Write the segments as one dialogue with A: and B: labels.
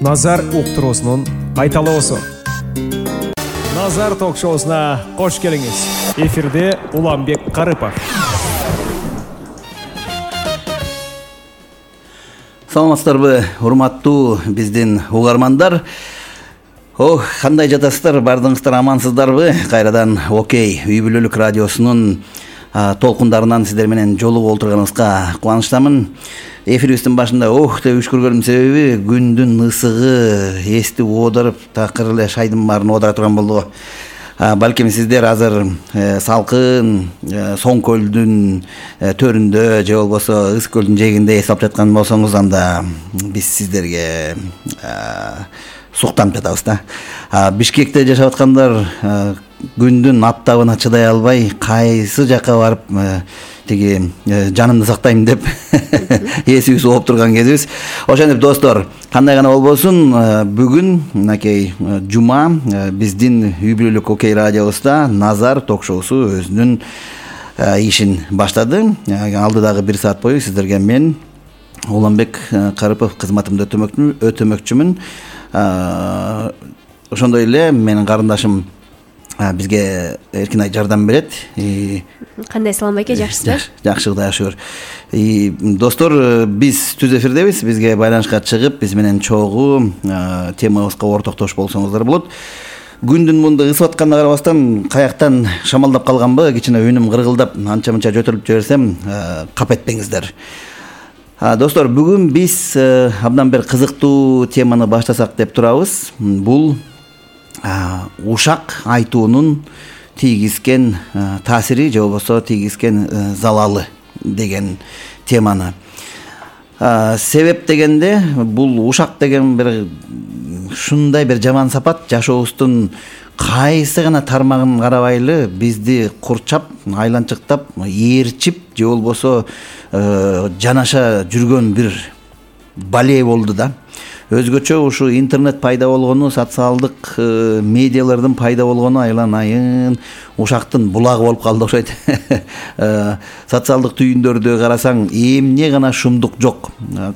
A: Назар уктуруусунун кайталоосу. Назар ток-шоусуна кош келиңиз. Эфирде Уланбек Карыпов.
B: Саламатсыздарбы, урматтуу биздин угармандар? Кандай жатасыздар? Бардыгыңыздар амансыздарбы? Кайрадан Окей үй бүлөлүк радиосунун толкундарынан сиздер менен жолугуп олтурганыбызга кубанычтамын. Эфирибиздин башында деп үшкүргөнүмдүн себеби күндүн ысыгы эсти оодарып, такыр эле шайдын баарын оодара турган болду. Балким сиздер азыр салкын Соң көлдүн төрүндө же болбосо Ыс көлдүн жээгинде эс алып жаткан болсоңуз, анда биз сиздерге суктанып жатабыз да. Бишкекте жашап аткандар күндүн аптабына чыдай албай, кайсы жака барып тиги жанымды сактайм деп эсибиз ооп турган кезибиз. Ошентип достор, кандай гана болбосун, бүгүн мынакей жума биздин үй бүлөлүк Окей радиосунда Назар ток-шоусу өзүнүн ишин баштады. Алдыдагы 1 саат бою сиздерге мен Уланбек Карыпов кызматымды өтөмөкчүмүн. Ошондой эле менин карындашым бизге эркин жардам берет.
C: Кандай салам байке, жакшысызбы?
B: Жакшы, Кудайга шүгүр. Достор, биз түз эфирдебиз. Бизге байланышка чыгып, биз менен чогуу темабызга ортоктош болсоңуздар болот. Күндүн мындай ысып атканына карабастан, каяктан шамалдап калганбы, кичине үнүм кыргылдап, анча-мынча жөтөлүп жиберсем, кап этпеңиздер. Достор, бүгүн биз абдан бир кызыктуу теманы баштасак деп турабыз. Бул ушак айтуунун тийгизген таасири же болбосо тийгизген залалы деген теманы. Себеп дегенде, бул ушак деген бир ушундай бир жаман сапат жашообуздун кайсы гана тармагын карабайлы бизди курчап, айланчыктап, ээрчип же болбосо жанаша жүргөн бир балей болду да. Өзгөчө ушу интернет пайда болгону, социалдык медиалардын пайда болгону айланайын ушактын булагы болуп калды окшойт. Социалдык түйүндөрдө карасаң, эмне гана шумдук жок.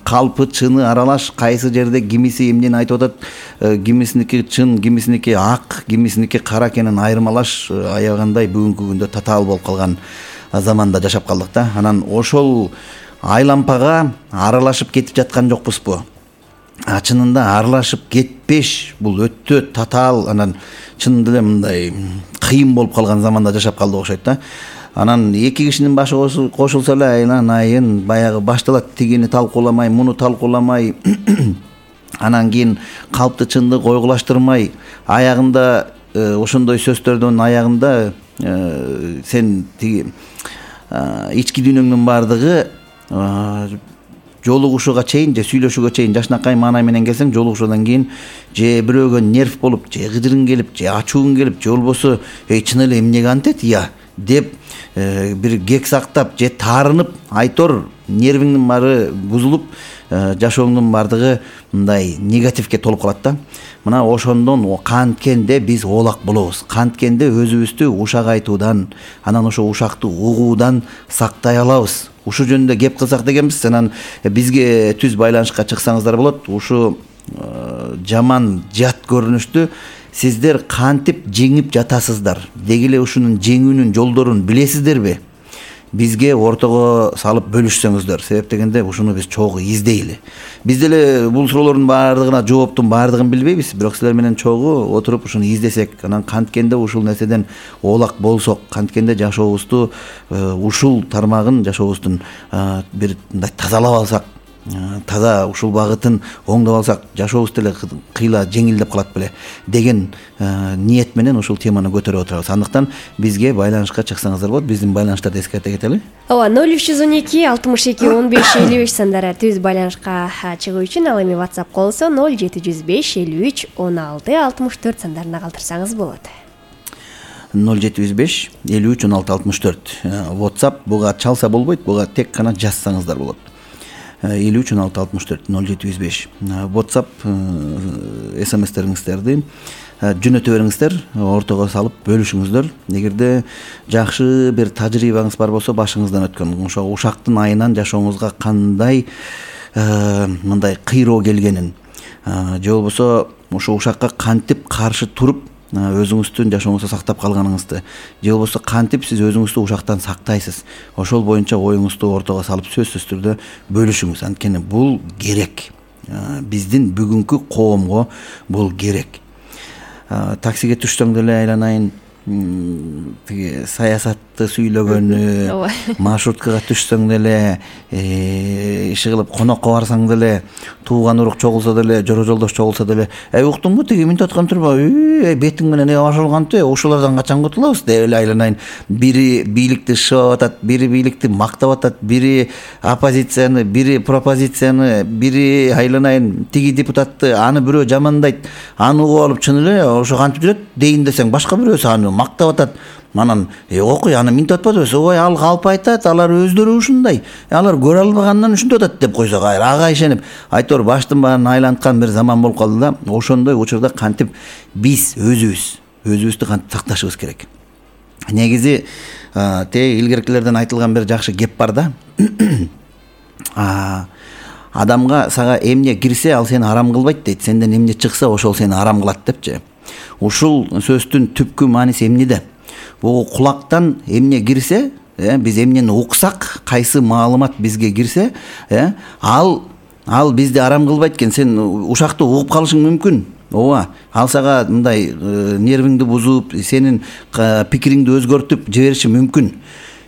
B: Калпы, чыны аралаш, кайсы жерде кимиси эмнени айтып атат, кимисиники чын, кимисиники ак, кимисиники кара экенин айырмалаш аябагандай бүгүнкү күндө татаал болуп калган заманда жашап калдык да. Анан ошол айлампага аралашып кетип жаткан жокпузбу? Чынында аралашып кетпеш, бул өтө татаал, анан чынында эле мындай кыйын болуп калган заманда жашап калдык окшойт да. Анан эки кишинин башы кошулса эле айланайын баягы башталат, тигини талкууламай, муну талкууламай, анан кийин калпты чынды койгулаштырмай, аягында ошондой сөздөрдүн аягында сен тиги ички дүйнөңдүн баардыгы жолугушууга чейин же сүйлөшүүгө чейин жашнакай маанай менен келсең, жолугушуудан кийин же бирөөгө нерв болуп, же кыжырың келип, же ачууң келип, же болбосо чын эле эмнеге антет деп бир кек сактап же таарынып айтор, нервиңдин баары бузулуп, жашооңдун баардыгы мындай негативге толуп калат да. Мына ошондон канткенде биз оолак болобуз. Канткенде өзүбүздү ушак айтуудан, анан ошо ушакты угуудан сактай алабыз. Ушу жөнүндө кеп кылсак дегенбиз. Анан бизге түз байланышка чыксаңыздар болот. Ушу жаман жат көрүнүштү сиздер кантип жеңип жатасыздар? Деги эле ушунун жеңүүнүн жолдорун билесиздерби? Бизге ортого салып бөлүшсөңүздөр. Себеп дегенде ушуну биз чогуу издейли. Биз деле бул суроолордун баардыгына жооптун баардыгын билбейбиз, бирок силер менен чогуу отуруп ушуну издесек, анан канткенде ушул нерседен оолак болсок, канткенде жашообузду ушул тармагын жашообуздун бир мындай тазалап алсак, таза ушул багытын оңдоп алсак, жашообуз деле кыйла жеңилдеп калат беле деген ниет менен ушул теманы көтөрүп отурабыз. Андыктан бизге байланышка чыксаңыздар болот. Биздин байланыштарды эскерте кетели.
C: 0312 62 15 55 сандары түз байланышка чыгуу үчүн, ал эми WhatsApp колсо 0705 53 16 64 сандарына калтырсаңыз болот.
B: 0705 53 16 64 WhatsApp буга чалса болбойт, буга тек гана жазсаңыздар болот. 53 16 64 0705 WhatsApp SMS-териңиздерди жөнөтө бериңиздер, ортого салып бөлүшүңүздөр. Эгерде жакшы бир тажрыйбаңыз бар болсо, башыңыздан өткөн ошо ушактын айынан жашооңузга кандай мындай кыйроо келгенин, же болбосо ошо ушакка кантип каршы туруп өзүңүздүн жашооңузду сактап калганыңызды, же болбосо кантип сиз өзүңүздү ушактан сактайсыз, ошол боюнча оюңузду ортого салып сөзсүз түрдө бөлүшүңүз. Анткени бул керек, биздин бүгүнкү коомго бул керек. Таксиге түшсөң деле айланайын тиги саясатты сүйлөгөнү, маршруткага түшсөң деле, иши кылып конокко барсаң деле, тууган урук чогулса деле, жора жолдош чогулса деле, уктуңбу тиги минтип аткан турбайбы, бетиң менен ошол кантип, ушулардан качан кутулабыз деп эле айланайын. Бири бийликти шыбап атат, бири бийликти мактап атат, бири оппозицияны, бири пропозицияны, бири айланайын тиги депутатты аны бирөө жамандайт, аны угуп алып чын эле ошо кантип жүрөт дейин десең, башка бирөөсү аны мактап атат. Анан окуй аны минтип атпадыбыз, ой ал калп айтат, алар өздөрү ушундай, алар көрө албагандан ушинтип атат деп койсок, ага ишенип айтор баштын баарын айланткан бир заман болуп калды да. Ошондой учурда кантип биз өзүбүздү кантип сакташыбыз керек. Негизи тээ илгеркилерден айтылган бир жакшы кеп бар да. Адамга сага эмне кирсе ал сени арам кылбайт дейт, сенден эмне чыкса ошол сени арам кылат депчи. Ушул сөздүн түпкү мааниси эмнеде? Бул кулактан эмне кирсе, биз эмнени уксак, кайсы маалымат бизге кирсе, ал бизди арам кылбайт экен. Сен ушакты угуп калышың мүмкүн. Ооба, ал сага мындай нервиңди бузуп, сенин пикириңди өзгөртүп жибериши мүмкүн.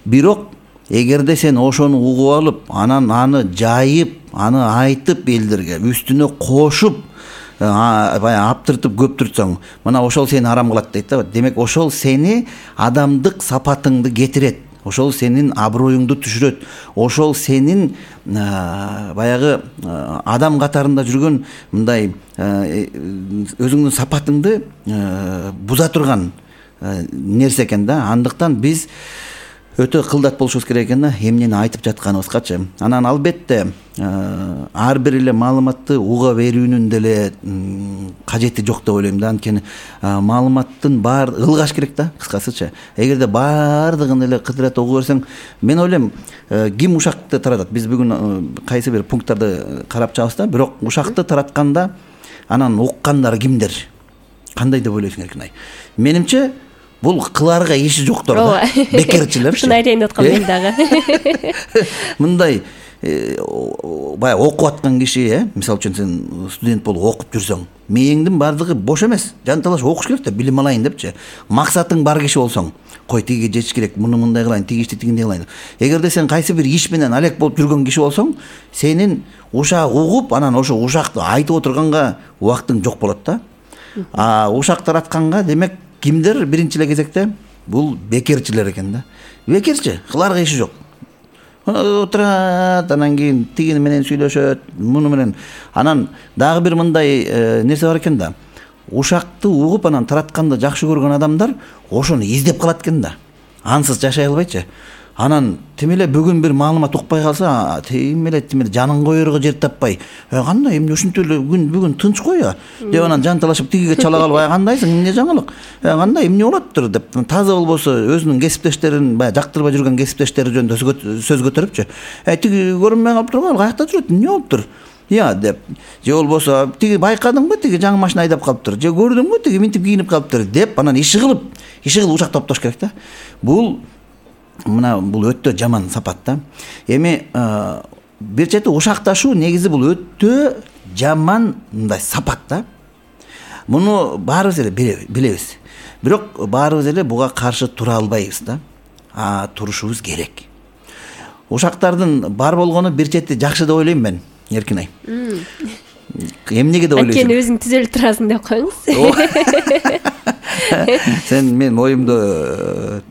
B: Бирок эгерде сен ошону угуп алып, анан аны жайып, аны айтып элдерге үстүнө кошуп, баягы аптыртып көптүртсөң, мына ошол сени арам кылат дейт да. Демек ошол сени адамдык сапатыңды кетирет. Ошол сенин аброюңду түшүрөт. Ошол сенин баягы адам катарында жүргөн мындай өзүңдүн сапатыңды буза турган нерсе экен да. Андыктан биз өтө кылдат болушубуз керек экен да, эмнени айтып жатканыбызгачы. Анан албетте ар бир эле маалыматты уга берүүнүн деле кажети жок деп ойлойм да. Анткени маалыматтын баары ылгаш керек да, кыскасычы. Эгерде баардыгын эле кыдырат угуп берсең, мен ойлойм ким ушакты таратат? Биз бүгүн кайсы бир пункттарды карап чыгабыз да, бирок ушакты таратканда анан уккандар кимдер? Кандай деп ойлойсуң Эркинай? Менимче бул кыларга иши жоктор да, бекерчилер.
C: Ушуну айтайын деп аткам мен дагы.
B: Мындай баягы окуп аткан киши, мисалы үчүн сен студент болуп окуп жүрсөң, мээңдин баардыгы бош эмес, жанталаш окуш керек да, билим алайын депчи. Максатың бар киши болсоң, кой тиги жетиш керек, муну мындай кылайын, тиги ишти тигиндей кылайын. Эгерде сен кайсы бир иш менен алек болуп жүргөн киши болсоң, сенин ушак угуп, анан ошо ушакты айтып отурганга убактың жок болот да. Ушак таратканга демек кимдер биринчи эле кезекте? Бул бекерчилер экен да. Бекерчи, кыларга иши жок. Отурат, анан кийин тигини менен сүйлөшөт, муну менен. Анан дагы бир мындай нерсе бар экен да. Ушакты угуп анан таратканды жакшы көргөн адамдар ошону издеп калат экен да. Ансыз жашай албайчы. Анан тим эле бүгүн бир маалымат укпай калса, тим эле жанын коерго жер таппай, кандай эмне ушинтип эле бүгүн тынч кой деп анан жанталашып тигиге чала калып, кандайсың, эмне жаңылык, кандай эмне болоптур деп таза болбосо өзүнүн кесиптештерин, баягы жактырбай жүргөн кесиптештери жөнүндө сөз көтөрүпчү. Тиги көрүнбөй калыптыр, ал каякта жүрөт, эмне болуптур? Деп. Же болбосо тиги байкадыңбы, тиги жаңы машина айдап калыптыр, же көрдүңбү, тиги минтип кийинип калыптыр деп анан иши кылып ушак топтош керек да. Бул өтө жаман сапат да. Эми бир чети ушакташуу негизи бул өтө жаман мындай сапат да. Муну баарыбыз эле билебиз. Бирок баарыбыз эле буга каршы тура албайбыз да. Турушубуз керек. Ушактардын бар болгону бир чети жакшы деп ойлойм мен, Эркинай. Эмнеге деп ойлойсуң?
C: Анткени өзүң түзөлүп турасың деп коюңуз.
B: Мен оюмду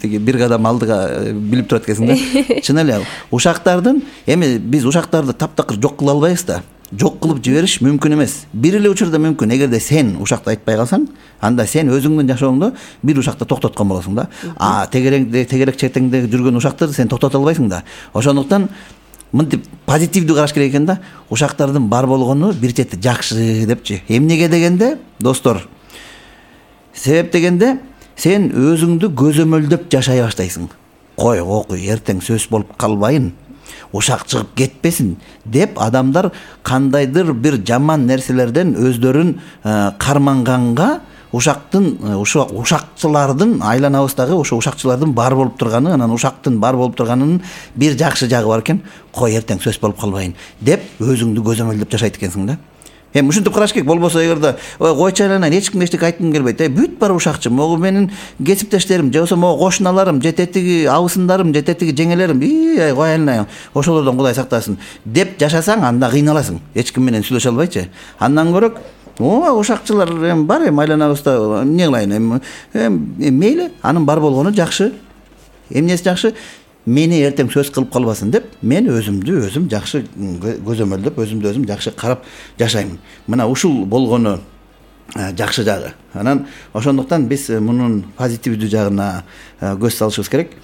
B: тиги бир кадам алдыга билип турат экенсиң да. Чын эле ушактардын, эми биз ушактарды таптакыр жок кыла албайбыз да. Жок кылып жибериш мүмкүн эмес. Бир эле учурда мүмкүн. Эгерде сен ушакты айтпай калсаң, анда сен өзүңдүн жашооңдо бир ушакты токтоткон болосуң да. Тегерек чертеңде жүргөн ушакты сен токтото албайсың да. Ошондуктан мынтип позитивдүү караш керек экен да. Ушактардын бар болгону бир чети жакшы депчи. Эмнеге дегенде, достор, себеп дегенде сен өзүңдү көзөмөлдөп жашай баштайсың. Кой, окуй, эртең сөз болуп калбайын. ушак чыгып кетпесин деп адамдар кандайдыр бир жаман нерселерден өздөрүн карманганга ушакчылардын айланабыздагы ошо ушакчылардын бар болуп турганы, анан ушактын бар болуп турганынын бир жакшы жагы бар экен. Кой эртең сөз болуп калбайын деп өзүңдү көзөмөлдөп жашайт экенсиң да. Эми ушинтип караш керек. Болбосо эгерде койчу айланайын, эч кимге эчтеке айткым келбейт. Бүт бар ушакчы, могу менин кесиптештерим, же болбосо могу кошуналарым, же тетиги абысындарым, же тетиги жеңелерим, кой айланайын, ошолордон Кудай сактасын деп жашасаң, анда кыйналасың. Эч ким менен сүйлөшө албайчы. Андан көрөк ушакчылар эми бар, эми айланабызда эмне кылайын, эми мейли, анын бар болгону жакшы. Эмнеси жакшы? Мени эртең сөз кылып калбасын деп, мен өзүмдү өзүм жакшы көзөмөлдөп, өзүмдү өзүм жакшы карап жашаймын. Мына ушул болгону жакшы жагы. Анан ошондуктан биз мунун позитивдүү жагына көз салышыбыз керек.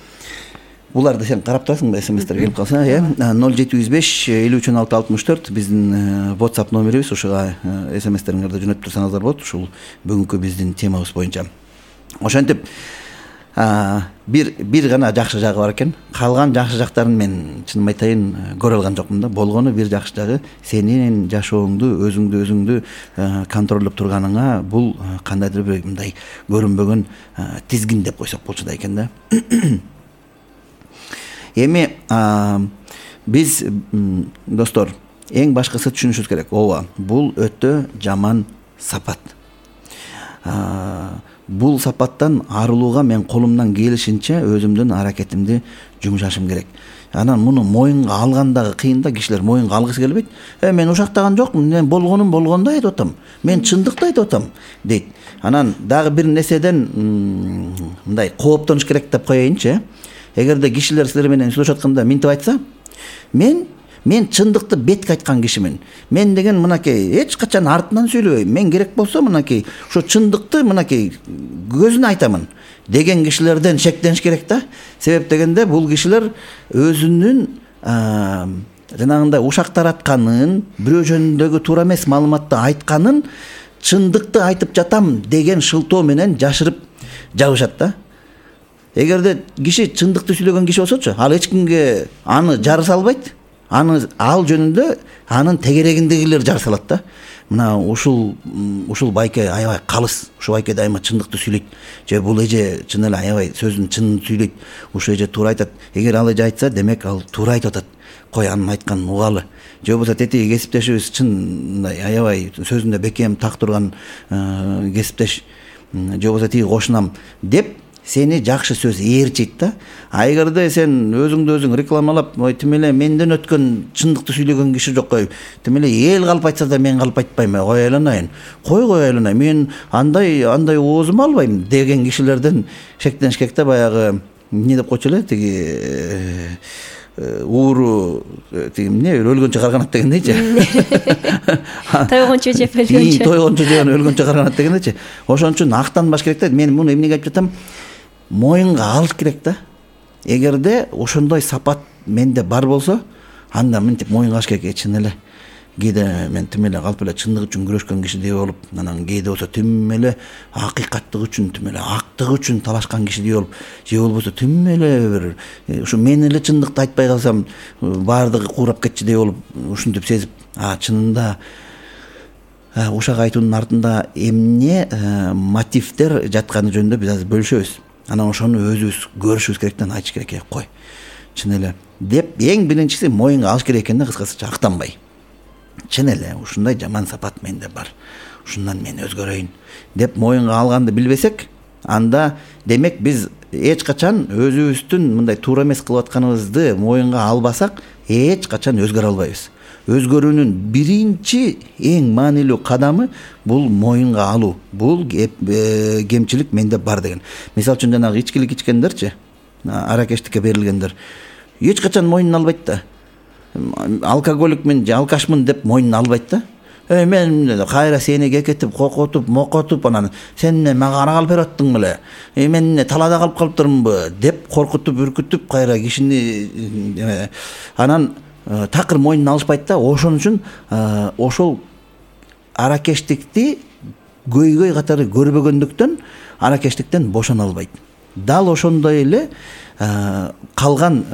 B: Буларды сен карап турасың, смстер келип калса, 0755-531664 биздин WhatsApp номерибиз, ушуга смстериңерди жөнөтүп турсаңыздар болот. Ушул бүгүнкү биздин темабыз боюнча. Ошентип бир гана жакшы жагы бар экен. Калган жакшы жактарын мен чынын айтайын көрө алган жокмун да. Болгону бир жакшы жагы сенин жашооңду, өзүңдү контролдоп турганыңа бул кандайдыр бир мындай көрүнбөгөн тизгин деп койсок болчу да экен да. Эми биз достор эң башкысы түшүнүшүбүз керек. Ооба, бул өтө жаман сапат. Бул сапаттан арылууга мен колумдан келишинче өзүмдүн аракетимди жумшашым керек. Анан муну моюнга алгандагы кыйын да, кишилер моюнга алгысы келбейт. Мен ушактаган жокмун, мен болгонум болгондой айтып атам. Мен чындыкты айтып атам дейт. Анан дагы бир нерседен мындай кооптонуш керек деп коеюнчу. Эгерде кишилер силер менен сүйлөшүп атканда минтип айтса, мен чындыкты бетке айткан кишимин. Мен деген мынакей эч качан артынан сүйлөбөйм. Мен керек болсо мынакей ошо чындыкты мынакей көзүнө айтамын деген кишилерден шектениш керек да. Себеп дегенде бул кишилер өзүнүн жанагындай ушак таратканын, бирөө жөнүндөгү туура эмес маалыматты айтканын чындыкты айтып жатам деген шылтоо менен жашырып жабышат да. Эгерде киши чындыкты сүйлөгөн киши болсочу, ал эч кимге аны жарыса албайт. Ал жөнүндө анын тегерегиндегилер жар салат да. Мына ушул байке аябай калыс. Ушул байке дайыма чындыкты сүйлөйт. Же бул эже чын эле аябай сөзүн чынын сүйлөйт. Ушул эже туура айтат. Эгер ал эже айтса, демек ал туура айтып атат. Кой анын айтканын угалы. Же болбосо тетиги кесиптешибиз чын мындай аябай сөзүндө бекем так турган кесиптеш, же болбосо тиги кошунам деп сени жакшы сөз ээрчийт да. Эгерде сен өзүңдү өзүң рекламалап, тим эле менден өткөн чындыкты сүйлөгөн киши жок, тим эле эл калып айтса да мен калып айтпайм, кой айланайын. Кой айланайын. Мен андай оозуму албайм деген кишилерден шектениш керек да. Баягы эмне деп койчу эле, тиги ууру тиги эмне өлгөнчө карганат дегендейчи.
C: Тойгончо жеп өлгөнчө.
B: Тойгончо жеген өлгөнчө карганат дегендейчи. Ошон үчүн актанбаш керек да. Мен муну эмнеге айтып жатам? Моюнга алыш керек да. Эгерде ошондой сапат менде бар болсо, анда мынтип моюнга алыш керек. Чын эле кээде мен тим эле калп эле чындык үчүн күрөшкөн кишидей болуп, анан кээде болсо тим эле акыйкаттык үчүн, тим эле актык үчүн талашкан кишидей болуп, же болбосо тим эле бир ушу мен эле чындыкты айтпай калсам баардыгы куурап кетчүдей болуп, ушинтип сезип, чынында ушак айтуунун артында эмне мотивдер жатканы жөнүндө биз азыр бөлүшөбүз. Анан ошону өзүбүз көрүшүбүз керек да, айтыш керек. Кой чын эле деп эң биринчиси моюнга алыш керек экен да, кыскасы актанбай. Чын эле ушундай жаман сапат менде бар, ушундан мен өзгөрөйүн деп моюнга алганды билбесек, анда демек биз эч качан өзүбүздүн мындай туура эмес кылып атканыбызды моюнга албасак, эч качан өзгөрө албайбыз. Өзгөрүүнүн биринчи эң маанилүү кадамы бул моюнга алуу. Бул кемчилик менде бар деген. Мисалы үчүн жанагы ичкилик ичкендерчи, аракештикке берилгендер эч качан моюнун албайт да. Алкоголикмин же алкашмын деп моюнун албайт да. Мен кайра сени кекетип, кокотуп, мокотуп, анан сен эмне мага ара калып берип аттың беле? Мен эмне талаада калып калыптырмынбы деп коркутуп, үркүтүп кайра кишини анан такыр моюнун алышпайт да. Ошон үчүн ошол аракештикти көйгөй катары көрбөгөндүктөн аракештиктен бошоно албайт. Дал ошондой эле калган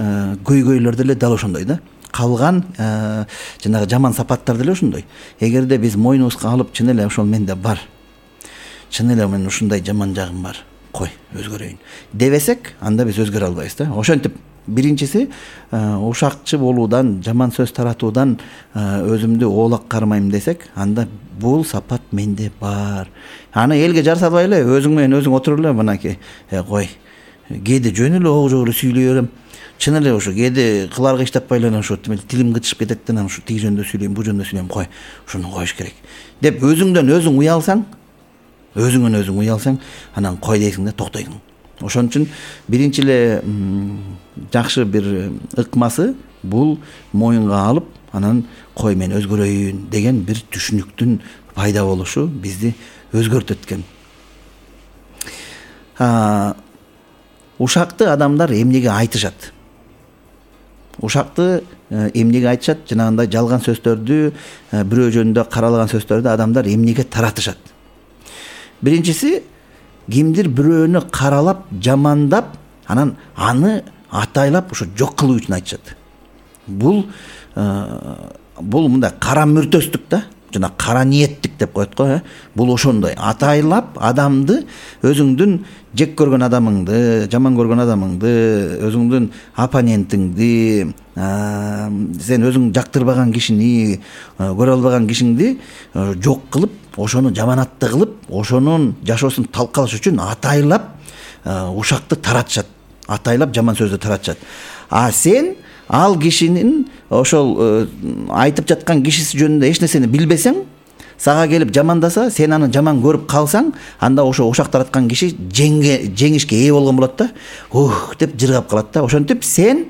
B: көйгөйлөр деле дал ошондой да. калган жанагы жаман сапаттар деле ошондой. Эгерде биз мойнубузга алып чын эле ошол менде бар, чын эле мен ушундай жаман жагым бар, кой өзгөрөйүн дебесек, анда биз өзгөрө албайбыз да. Ошентип биринчиси ушакчы болуудан, жаман сөз таратуудан өзүмдү оолак кармайм десек, анда бул сапат менде бар. Аны элге жарсатпай эле өзүң менен өзүң отуруп эле мынакей кой кээде жөн эле ого жок эле сүйлөй берем. Чын эле ошо кээде кыларга иштеппай эле ошо тилим кытышып кетет да, ушу тиги жөнүндө сүйлөйм, бул жөнүндө сүйлөйм, кой ушуну коюш керек деп өзүңдөн өзүң уялсаң, өзүңөн өзүң уялсаң, анан кой дейсиң да, токтойсуң. Ошон үчүн биринчи эле жакшы бир ыкмасы бул моюнга алып, анан кой мен өзгөрөйүн деген бир түшүнүктүн пайда болушу бизди өзгөртөт экен. Ушакты адамдар эмнеге айтышат? Ушакты эмнеге айтышат? Жанагындай жалган сөздөрдү, бирөө жөнүндө каралаган сөздөрдү адамдар эмнеге таратышат? Биринчиси, кимдир бирөөнү каралап, жамандап, анан аны атайлап ошо жок кылуу үчүн айтышат. Бул мындай кара мүртөстүк да, жана кара ниеттик деп коет го. Бул ошондой атайлап адамды, өзүңдүн жек көргөн адамыңды, жаман көргөн адамыңды, өзүңдүн оппонентиңди, сен өзүң жактырбаган кишини, көрө албаган кишиңди жок кылып, ошону жаманатты кылып, ошонун жашоосун талкалаш үчүн атайлап ушакты таратышат, атайлап жаман сөздү таратышат. Сен ал кишинин ошол айтып жаткан кишиси жөнүндө эч нерсени билбесең, сага келип жамандаса, сен аны жаман көрүп калсаң, анда ошо ушак тараткан киши жеңишке ээ болгон болот да, деп жыргап калат да. Ошентип сен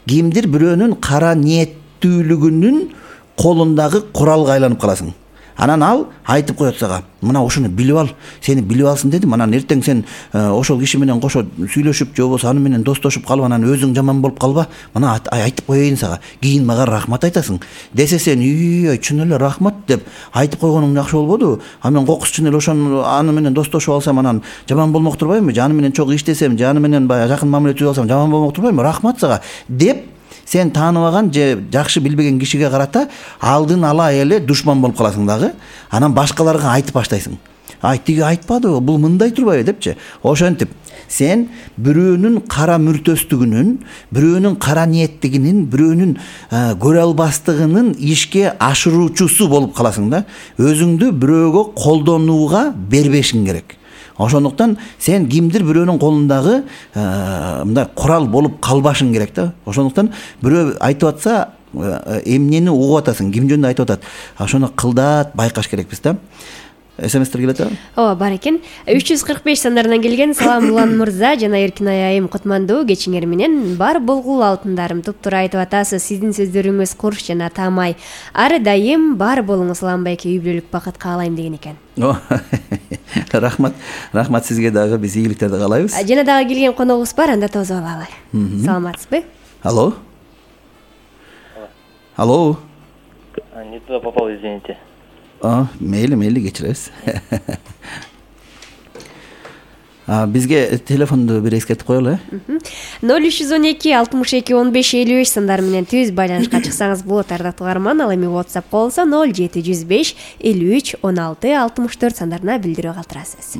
B: кимдир бирөөнүн кара ниеттүүлүгүнүн колундагы куралга айланып каласың. Анан ал айтып коет сага, мына ушуну билип ал, сени билип алсын дедим, анан эртең сен ошол киши менен кошо сүйлөшүп, же болбосо аны менен достошуп калып, анан өзүң жаман болуп калба, мына айтып коеюн сага, кийин мага рахмат айтасың десе, сен чын эле рахмат деп айтып койгонуң жакшы болбоду, мен кокус чын эле ошону аны менен достошуп алсам, анан жаман болмок турбайбы, же аны менен чогуу иштесем, же аны менен баягы жакын мамиле түзүп алсам жаман болмок турбайбы, рахмат сага деп сен тааныбаган же жакшы билбеген кишиге карата алдын ала эле душман болуп каласың дагы. Анан башкаларга айтып баштайсың. Тиги айтпадыбы, бул мындай турбайбы депчи. Ошентип сен бирөөнүн кара мүртөстүгүнүн, бирөөнүн кара ниеттигинин, бирөөнүн көрө албастыгынын ишке ашыруучусу болуп каласың да. Өзүңдү бирөөгө колдонууга бербешиң керек. Ошондуктан сен кимдир бирөөнүн колундагы мындай курал болуп калбашың керек да. Ошондуктан бирөө айтып атса, эмнени угуп атасың, ким жөнүндө айтып атат, ошону кылдат байкаш керекпиз да. СМСтер келет да?
C: Ооба, бар экен. 345 сандарынан келген. Салам Улан мырза жана Эркинай айым, кутмандуу кечиңер менен. Бар болгул алтындарым, туптуура айтып атасыз. Сиздин сөздөрүңүз курч жана таамай. Ары дайым бар болуңуз Улан байке, үй бүлөлүк бакыт каалайм деген экен.
B: Рахмат сизге дагы, биз ийгиликтерди каалайбыз.
C: Жана дагы келген коногубуз бар, анда тосуп алалы. Саламатсызбы?
B: Алло. Алло.
D: Не туда попал, извините.
B: Мейли кечиребиз. Бизге телефонду бир эскертип коелу.
C: 0312 62 15 55 сандар менен түз байланышка чыксаңыз болот, ардактуу угарман. Ал эми WhatsApp болсо 0705 53 16 64 сандарына билдирүү калтырасыз.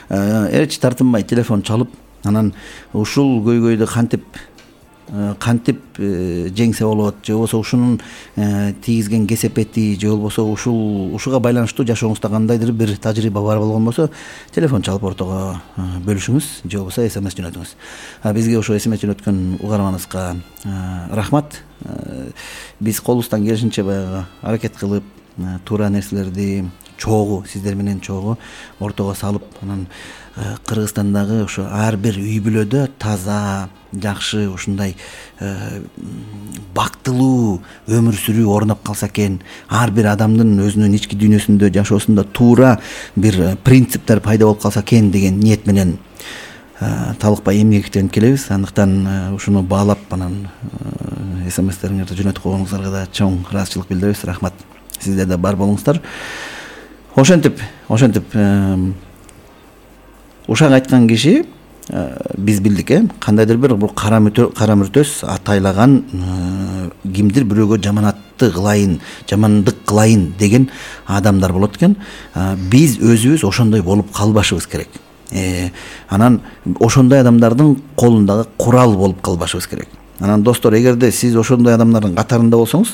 B: Эч тартынбай телефон чалып, анан ушул көйгөйдү кантип жеңсе болот, же болбосо ушунун тийгизген кесепети, же болбосо ушуга байланыштуу жашооңузда кандайдыр бир тажрыйба бар болгон болсо, телефон чалып ортого бөлүшүңүз, же болбосо SMS жөнөтүңүз. Бизге ошо SMS жөнөткөн угарманыбызга рахмат. Биз колубуздан келишинче баягы аракет кылып, туура нерселерди чогуу, сиздер менен чогуу ортого салып, анан Кыргызстандагы ошо ар бир үй бүлөдө таза, жакшы, ушундай бактылуу өмүр сүрүү орноп калса экен, ар бир адамдын өзүнүн ички дүйнөсүндө, жашоосунда туура бир принциптер пайда болуп калса экен деген ниет менен талыкпай эмгектенип келебиз. Андыктан ушуну баалап, анан SMS-териңерди жөнөтүп койгонуңуздарга да чоң ыраазычылык билдиребиз. Рахмат. Сиздер да бар болуңуздар. Ошентип ушак айткан киши биз билдик кандайдыр бир бул кара мүртөс атайлаган кимдир бирөөгө жаманаттык кылайын деген адамдар болот экен. Биз өзүбүз ошондой болуп калбашыбыз керек. Анан ошондой адамдардын колундагы курал болуп калбашыбыз керек. Анан достор, эгерде сиз ошондой адамдардын катарында болсоңуз,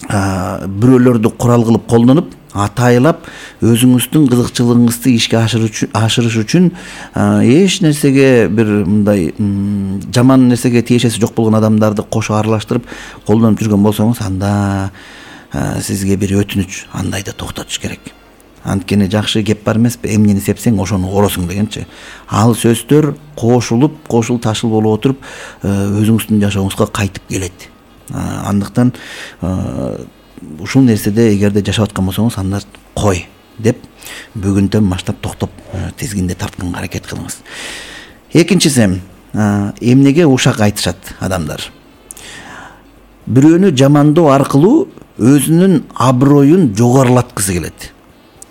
B: бирөөлөрдү курал кылып колдонуп, атайлап өзүңүздүн кызыкчылыгыңызды ишке ашырыш үчүн эч нерсеге бир мындай жаман нерсеге тиешеси жок болгон адамдарды кошо аралаштырып колдонуп жүргөн болсоңуз, анда сизге бир өтүнүч, андайды токтотуш керек. Анткени жакшы кеп бар эмеспи, эмнени сепсең ошону оросуң дегенчи. Ал сөздөр кошул ташыл болуп отуруп өзүңүздүн жашооңузга кайтып келет. Андыктан ушул нерседе эгерде жашап аткан болсоңуз, анда кой деп бүгүндөн баштап токтоп тизгинди тартканга аракет кылыңыз. Экинчиси, эмнеге ушак айтышат адамдар? Бирөөнү жамандоо аркылуу өзүнүн аброюн жогорулаткысы келет.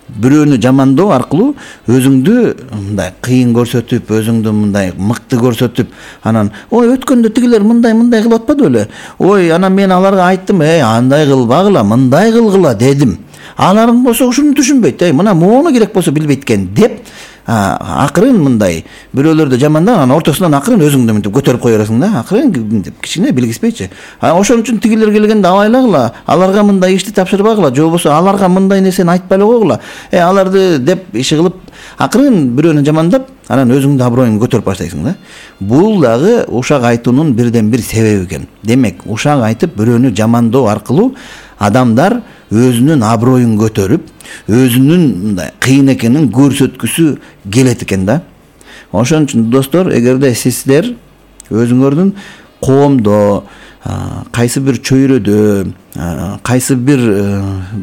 B: Бирөөнү жамандоо аркылуу өзүңдү мындай кыйын көрсөтүп, өзүңдү мындай мыкты көрсөтүп, анан ой өткөндө тигилер мындай кылып атпады беле? Ой, анан мен аларга айттым, андай кылбагыла, мындай кылгыла дедим. Аларың болсо ушуну түшүнбөйт, мына мону керек болсо билбейт экен деп, акырын мындай бирөөлөрдү жамандап, анан ортосунан акырын өзүңдү мынтип көтөрүп кое бересиң да, акырын деп кичине билгиспейчи. Ошон үчүн тигилер келгенде абайлагыла, аларга мындай ишти тапшырбагыла, же болбосо аларга мындай нерсени айтпай эле койгула. Аларды деп иши кылып, акырын бирөөнү жамандап, анан өзүңдүн аброюңду көтөрүп баштайсың да. Бул дагы ушак айтуунун бирден бир себеби экен. Демек, ушак айтып бирөөнү жамандоо аркылуу адамдар өзүнүн аброюн көтөрүп, өзүнүн мындай кыйын экенин көрсөткүсү келет экен да. Ошон үчүн достор, эгерде сиздер өзүңөрдүн коомдо, кайсы бир чөйрөдө, кайсы бир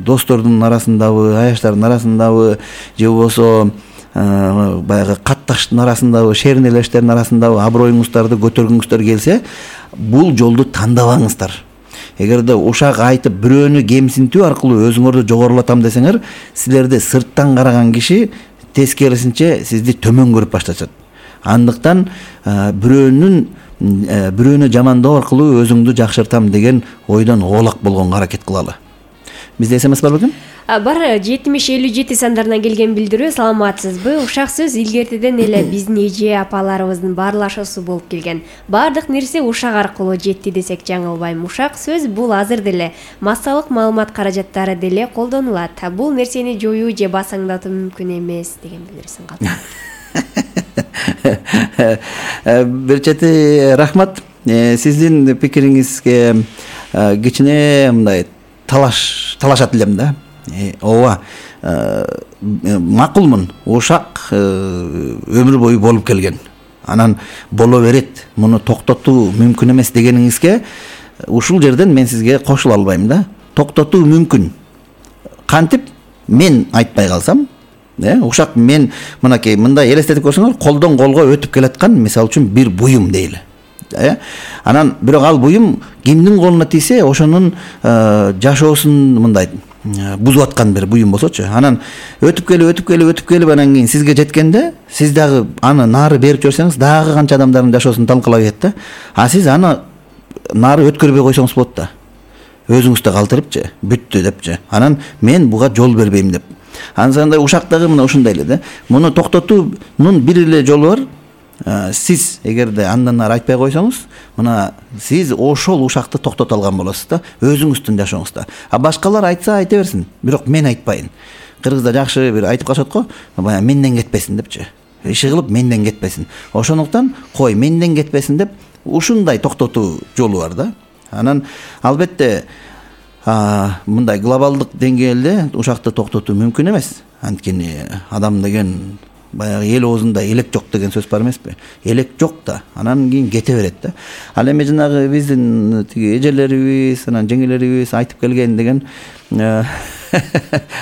B: достордун арасындабы, аяштардын арасындабы, же болбосо баягы катташтын арасындабы, шернелештердин арасындабы аброюңуздарды көтөргүңүздөр келсе, бул жолду тандабаңыздар. Эгерде ушак айтып бирөөнү кемсинтүү аркылуу өзүңөрдү жогорулатам десеңер, силерди сырттан караган киши тескерисинче сизди төмөн көрүп башташат. Андыктан бирөөнү жамандоо аркылуу өзүңдү жакшыртам деген ойдон оолак болгонго аракет кылалы. Бизде СМС бар бекен?
C: Бар 7057 сандарынан келген билдирүү. Саламатсызбы? Ушак сөз илгертеден эле биздин эже апаларыбыздын баарлашуусу болуп келген. Бардык нерсе ушак аркылуу жетти десек жаңылбайм. Ушак сөз бул азыр деле массалык маалымат каражаттары деле колдонулат. Бул нерсени жоюу же басаңдатуу мүмкүн эмес деген билдирүүсүн калдырды.
B: Бир чети рахмат. Сиздин пикириңизге кичине мындай талашат элем да. Ооба, макулмун. Ушак өмүр бою болуп келген. Анан боло берет. Муну токтотуу мүмкүн эмес дегениңизге ушул жерден мен сизге кошула албайм да. Токтотуу мүмкүн. Кантип мен айтпай калсам, ушак мен мынакей мындай элестетип көрсөңөр, колдон колго өтүп келаткан, мисалы үчүн бир буюм дейли. Анан бирок ал буюм кимдин колуна тийсе, ошонун жашоосун мындай бузуп аткан бир буюм болсочу. Анан өтүп келип анан кийин сизге жеткенде, сиз дагы аны нары берип жиберсеңиз, дагы канча адамдардын жашоосун талкалап кетет да. Сиз аны нары өткөрбөй койсоңуз болот да. Өзүңүздү калтырыпчы, бүттү депчи. Анан мен буга жол бербейм деп. Ансандай ушактагы мына ушундай эле да. Муну токтотуунун бир эле жолу бар. Сиз эгерде андан ары айтпай койсоңуз, мына сиз ошол ушакты токтото алган болосуз да, өзүңүздүн жашооңузда. Башкалар айтса айта берсин, бирок мен айтпайын. Кыргызда жакшы бир айтып калышат го, баягы менден кетпесин депчи. Иши кылып менден кетпесин. Ошондуктан кой менден кетпесин деп ушундай токтотуу жолу бар да. Анан албетте мындай глобалдык деңгээлде ушакты токтотуу мүмкүн эмес. Анткени адам деген баягы эл оозунда элек жок деген сөз бар эмеспи? Элек жок да, анан кийин кете берет да. Ал эми жанагы биздин тиги эжелерибиз, анан жеңелерибиз айтып келген деген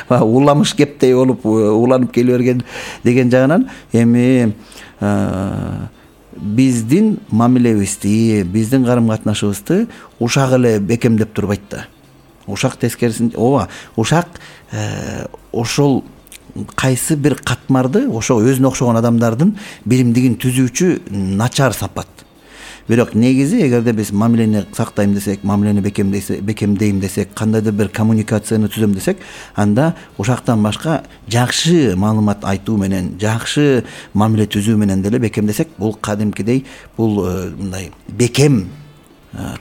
B: уламыш кептей болуп уланып келе берген деген жагынан эми биздин мамилебизди, биздин карым-катнашыбызды ушак эле бекемдеп турбайт да. Ушак тескерисинче, ооба, ушак ошол кайсы бир катмарды ошо өзүнө окшогон адамдардын биримдигин түзүүчү начар сапат. Бирок негизи эгерде биз мамилени сактайм десек, мамилени бекемдейм десек, кандайдыр бир коммуникацияны түзөм десек, анда ушактан башка жакшы маалымат айтуу менен, жакшы мамиле түзүү менен деле бекемдесек, бул кадимкидей бул мындай бекем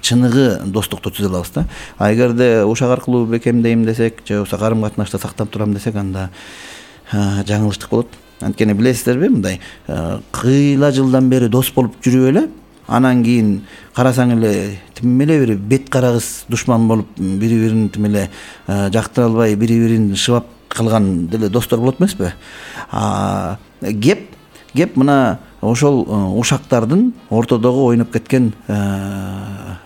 B: чыныгы достукту түзө алабыз да. А эгерде ушак аркылуу бекемдейм десек, же болбосо карым катнашта сактап турам десек, анда жаңылыштык болот. Анткени билесиздерби, мындай кыйла жылдан бери дос болуп жүрүп эле, анан кийин карасаң эле тим эле бир бет карагыз душман болуп, бири-бирин тим эле жактыра албай, бири-бирин шыбап калган деле достор болот эмеспи? Кеп мына ошол ушактардын ортодогу ойноп кеткен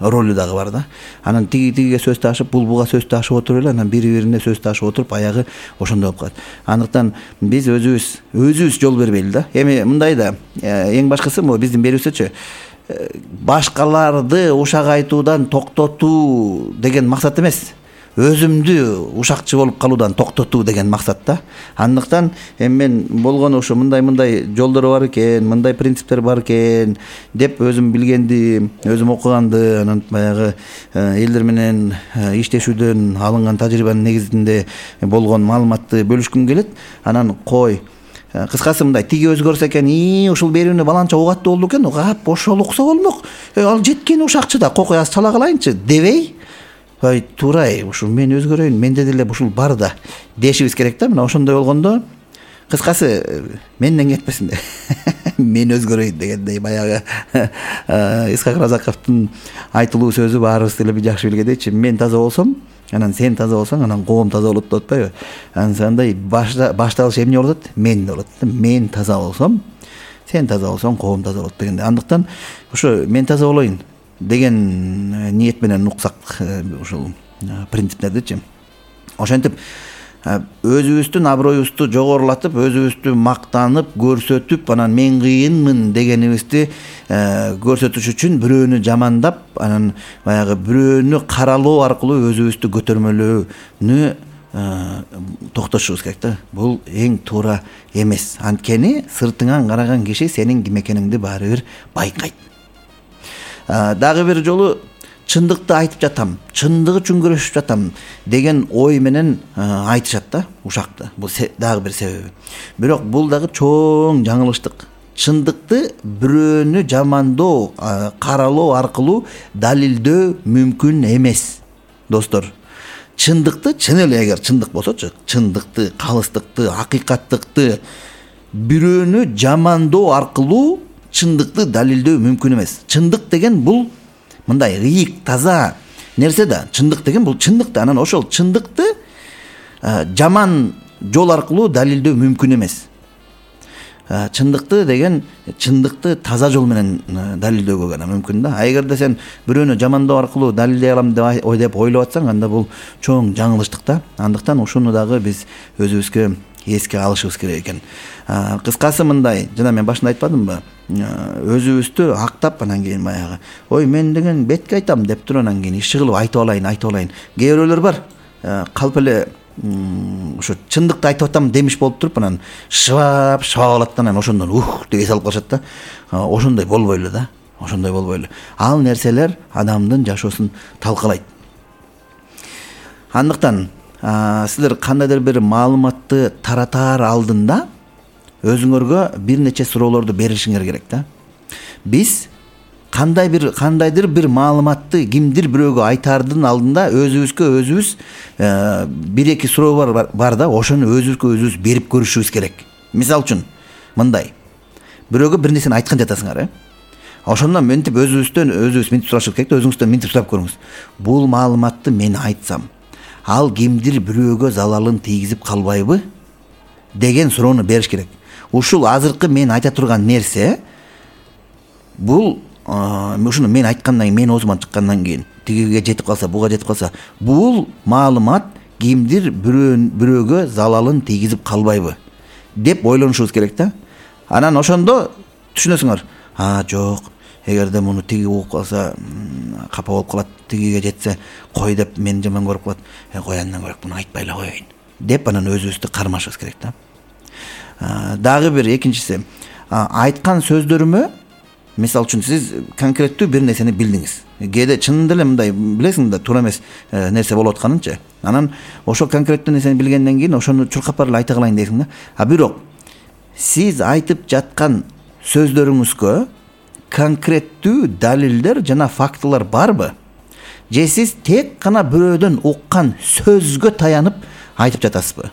B: ролу дагы бар да. Анан тигиге сөз ташып, буга сөз ташып отуруп эле, анан бири-бирине сөз ташып отуруп, аягы ошондой болуп калат. Андыктан биз өзүбүз жол бербейли да. Эми мындай да, эң башкысы могу биздин берүүбүздчү башкаларды ушак айтуудан токтотуу деген максат эмес. Өзүмдү ушакчы болуп калуудан токтотуу деген максат да. Андыктан эми мен болгону ушу мындай жолдор бар экен, мындай принциптер бар экен деп өзүм билгенди, өзүм окуганды, анан баягы элдер менен иштешүүдөн алынган тажрыйбанын негизинде болгон маалыматты бөлүшкүм келет. Анан кыскасы мындай, тиги өзгөрсө экен, ушул берүүнү баланча угаттуу болду экен, ошол укса болмок. Ал жеткен ушакчы да, кокуй аз чала калайынчы дебей, туурай, ушул мен өзгөрөйүн, менде деле ушул бар да дешибиз керек да. Мына ошондой болгондо, кыскасы менден кетпесин де. Мен өзгөрөйүн дегендей баягы Исхак Разаковдун айтылуу сөзү баарыбыз деле жакшы билгендейчи, мен таза болсом, анан сен таза болсоң, анан коом таза болот деп атпайбы? Андай башталыш эмне болот? Мен болот. Мен таза болсом, сен таза болсоң, коом таза болот дегенде. Андыктан ошо мен таза болоюн деген ниет менен уксак ушул принциптердичи. Ошентип өзүбүздүн аброюбузду жогорулатып, өзүбүздү мактанып, көрсөтүп, анан мен кыйынмын дегенибизди көрсөтүш үчүн бирөөнү жамандап, анан баягы бирөөнү каралоо аркылуу өзүбүздү көтөрмөлөөнү токтошубуз керек да. Бул эң туура эмес. Анткени сыртыңан караган киши сенин ким экениңди баары бир байкайт. Дагы бир жолу чындыкты айтып жатам, чындыгы үчүн күрөшүп жатам деген ой менен айтышат да ушакты. Бул дагы бир себеби. Бирок бул дагы чоң жаңылыштык. Чындыкты бирөөнү жамандоо, каралоо аркылуу далилдөө мүмкүн эмес. Достор, чындыкты, чын эле эгер чындык болсочу, чындыкты, калыстыкты, акыйкаттыкты бирөөнү жамандоо аркылуу чындыкты далилдөө мүмкүн эмес. Чындык деген бул мындай ыйык, таза нерсе да. Чындык деген бул чындык да. Анан ошол чындыкты жаман жол аркылуу далилдөө мүмкүн эмес. Чындыкты деген чындыкты таза жол менен далилдөөгө гана мүмкүн да. А эгерде сен бирөөнү жамандоо аркылуу далилдей алам деп ойлоп атсаң, анда бул чоң жаңылыштык да. Андыктан ушуну дагы биз өзүбүзгө эске алышыбыз керек экен. Кыскасы мындай, жана мен башында айтпадымбы? Өзүбүздү актап, анан кийин баягы, ой мен деген бетке айтам деп туруп, анан кийин иши кылып айтып алайын. Кээ бирөөлөр бар, калп эле ушу чындыкты айтып атам демиш болуп туруп, анан шыбап алат да, анан ошондон деп эс алып калышат да. Ошондой болбойлу да. Ошондой болбойлу. Ал нерселер адамдын жашоосун талкалайт. Андыктан силер кандайдыр бир маалыматты таратаар алдында өзүңөргө бир нече суроолорду беришиңер керек да. Биз кандайдыр бир маалыматты кимдир бирөөгө айтаардын алдында өзүбүз бир-эки суроо бар да, ошону өзүбүз берип көрүшүбүз керек. Мисалы үчүн мындай, бирөөгө бир нерсени айткан жатасыңар, ошондон мынтип өзүбүз мынтип сурашыбыз керек да, өзүңүздөн мынтип сурап көрүңүз. Бул маалыматты мен айтсам, ал кимдир бирөөгө залалын тийгизип калбайбы деген суроону бериш керек. Ушул азыркы мен айта турган нерсе, бул ушуну мен айткандан кийин, мен оозуман чыккандан кийин тигиге жетип калса, буга жетип калса, бул маалымат кимдир бирөөгө залалын тийгизип калбайбы деп ойлонушубуз керек да. Анан ошондо түшүнөсүңөр, жок, эгерде муну тиги угуп калса капа болуп калат, тигиге жетсе кой деп мени жаман көрүп калат, кой андан көрө муну айтпай эле коеюн деп анан өзүбүздү кармашыбыз керек да. Дагы бир экинчиси, айткан сөздөрүмө, мисалы үчүн сиз конкреттүү бир нерсени билдиңиз. Кээде чынында эле мындай билесиң да туура эмес нерсе болуп атканынчы. Анан ошол конкреттүү нерсени билгенден кийин ошону чуркап барып айта калайын дейсиң да. Бирок сиз айтып жаткан сөздөрүңүзгө конкреттүү далилдер жана фактылар барбы? Же сиз тек гана бирөөдөн уккан сөзгө таянып айтып жатасызбы?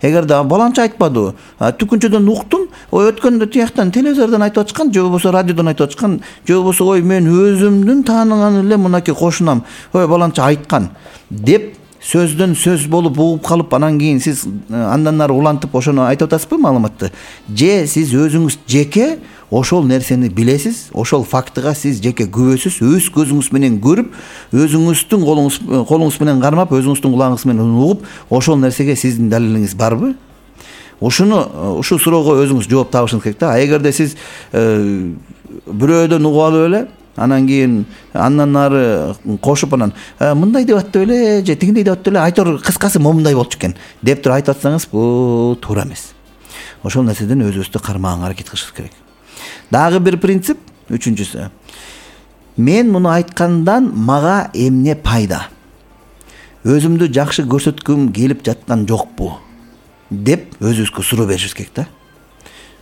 B: Эгерде баланча айтпады, түкүнчөдөн уктум, өткөндө тияктан телевизордон айтып атышкан, же болбосо радиодон айтып атышкан, же болбосо мен өзүмдүн тааныган эле мынакей кошунам, баланча айткан деп сөздөн сөз болуп угуп калып, анан кийин сиз андан нары улантып ошону айтып атасызбы маалыматты? Же сиз өзүңүз жеке ошол нерсени билесиз, ошол фактыга сиз жеке күбөсүз, өз көзүңүз менен көрүп, өзүңүздүн колуңуз менен кармап, өзүңүздүн кулагыңыз менен угуп, ошол нерсеге сиздин далилиңиз барбы? Ушул суроого өзүңүз жооп табышыңыз керек да. Эгерде сиз бирөөдөн угуп алып эле, анан кийин андан нары кошуп анан мындай деп атты эле, же тигиндей деп атты эле, айтор кыскасы момундай болчу экен деп туруп айтып атсаңыз, бул туура эмес. Ошол нерседен өзүбүздү кармаганга аракет кылышыбыз керек. Дагы бир принцип, үчүнчүсү. Мен муну айткандан мага эмне пайда? Өзүмдү жакшы көрсөткүм келип жаткан жокпу? Деп өзүбүзгө суроо беришибиз керек да.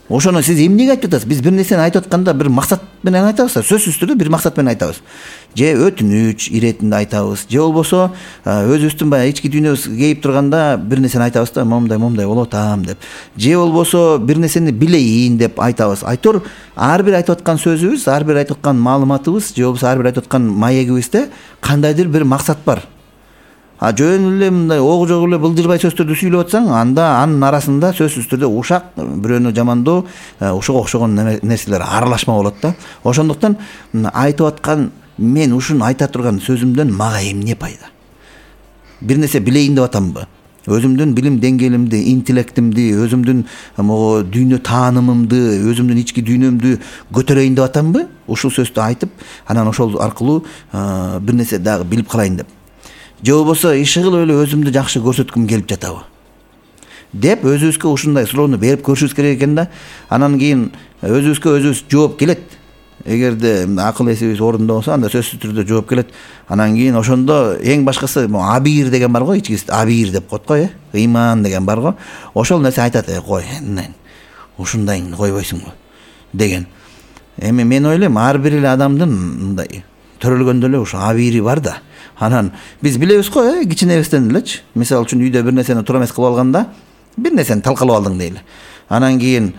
B: Ошону сиз эмнеге айтып атасыз? Биз бир нерсени айтып атканда бир максат менен айтабыз, сөзсүз түрдө бир максат менен айтабыз. Же өтүнүч иретинде айтабыз, же болбосо өзүбүздүн баягы ички дүйнөбүз кейип турганда бир нерсени айтабыз да, момундай болуп атам деп. Же болбосо бир нерсени билейин деп айтабыз. Айтор ар бир айтып аткан сөзүбүз, ар бир айтып аткан маалыматыбыз, же болбосо ар бир айтып аткан маегибизде кандайдыр бир максат бар. Жөн эле мындай ого жок эле былжырбай сөздөрдү сүйлөп атсаң, анда анын арасында сөзсүз түрдө ушак, бирөөнү жамандоо, ушуга окшогон нерселер аралашма болот да. Ошондуктан айтып аткан мен ушуну айта турган сөзүмдөн мага эмне пайда? Бир нерсе билейин деп атамбы? Өзүмдүн билим деңгээлимди, интеллектимди, өзүмдүн дүйнө таанымымды, өзүмдүн ички дүйнөмдү көтөрөйүн деп атамбы? Ушул сөздү айтып, анан ошол аркылуу бир нерсе дагы билип калайын деп. Же болбосо иши кылып эле өзүмдү жакшы көрсөткүм келип жатабы деп өзүбүзгө ушундай суроону берип көрүшүбүз керек экен да. Анан кийин өзүбүз жооп келет. Эгерде акыл эсибиз орунда болсо, анда сөзсүз түрдө жооп келет. Анан кийин ошондо эң башкысы абийир деген бар го, ичкисинде абийир деп коет го, ыйман деген бар го. Ошол нерсе айтат, кой, ушундайыңды койбойсуңбу деген. Эми мен ойлойм, ар бир эле адамдын мындай төрөлгөндө эле ушу абийири бар да. Анан биз билебиз го, кичинебизден элечи. Мисалы үчүн үйдө бир нерсени туура эмес кылып алганда, бир нерсени талкалап алдың дейли. Анан кийин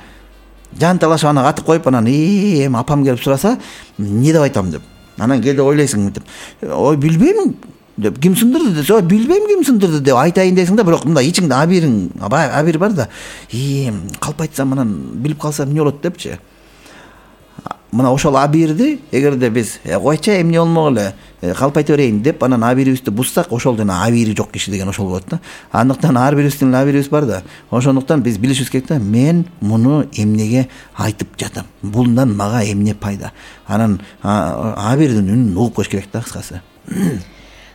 B: жанталашып аны катып коюп, анан эми апам келип сураса, эмне деп айтам деп. Анан кээде ойлойсуң деп. Ой, билбейм деп, ким сындырды десе, ой, билбейм ким сындырды деп айтайын дейсиң да, бирок мындай ичиңде абийир бар да. Калп айтсам, анан билип калсам эмне болот депчи. Мына ошол абийирди эгерде биз койчу эмне болмок эле, калп айта берейин деп анан абийирибизди буссак, ошол жана абийири жок киши деген ошол болот да. Андыктан ар бирибиздин абийирибиз бар да. Ошондуктан биз билишибиз керек да, мен муну эмнеге айтып жатам? Булдан мага эмне пайда? Анан абийирдин үнүн угуп коюш керек да, кыскасы.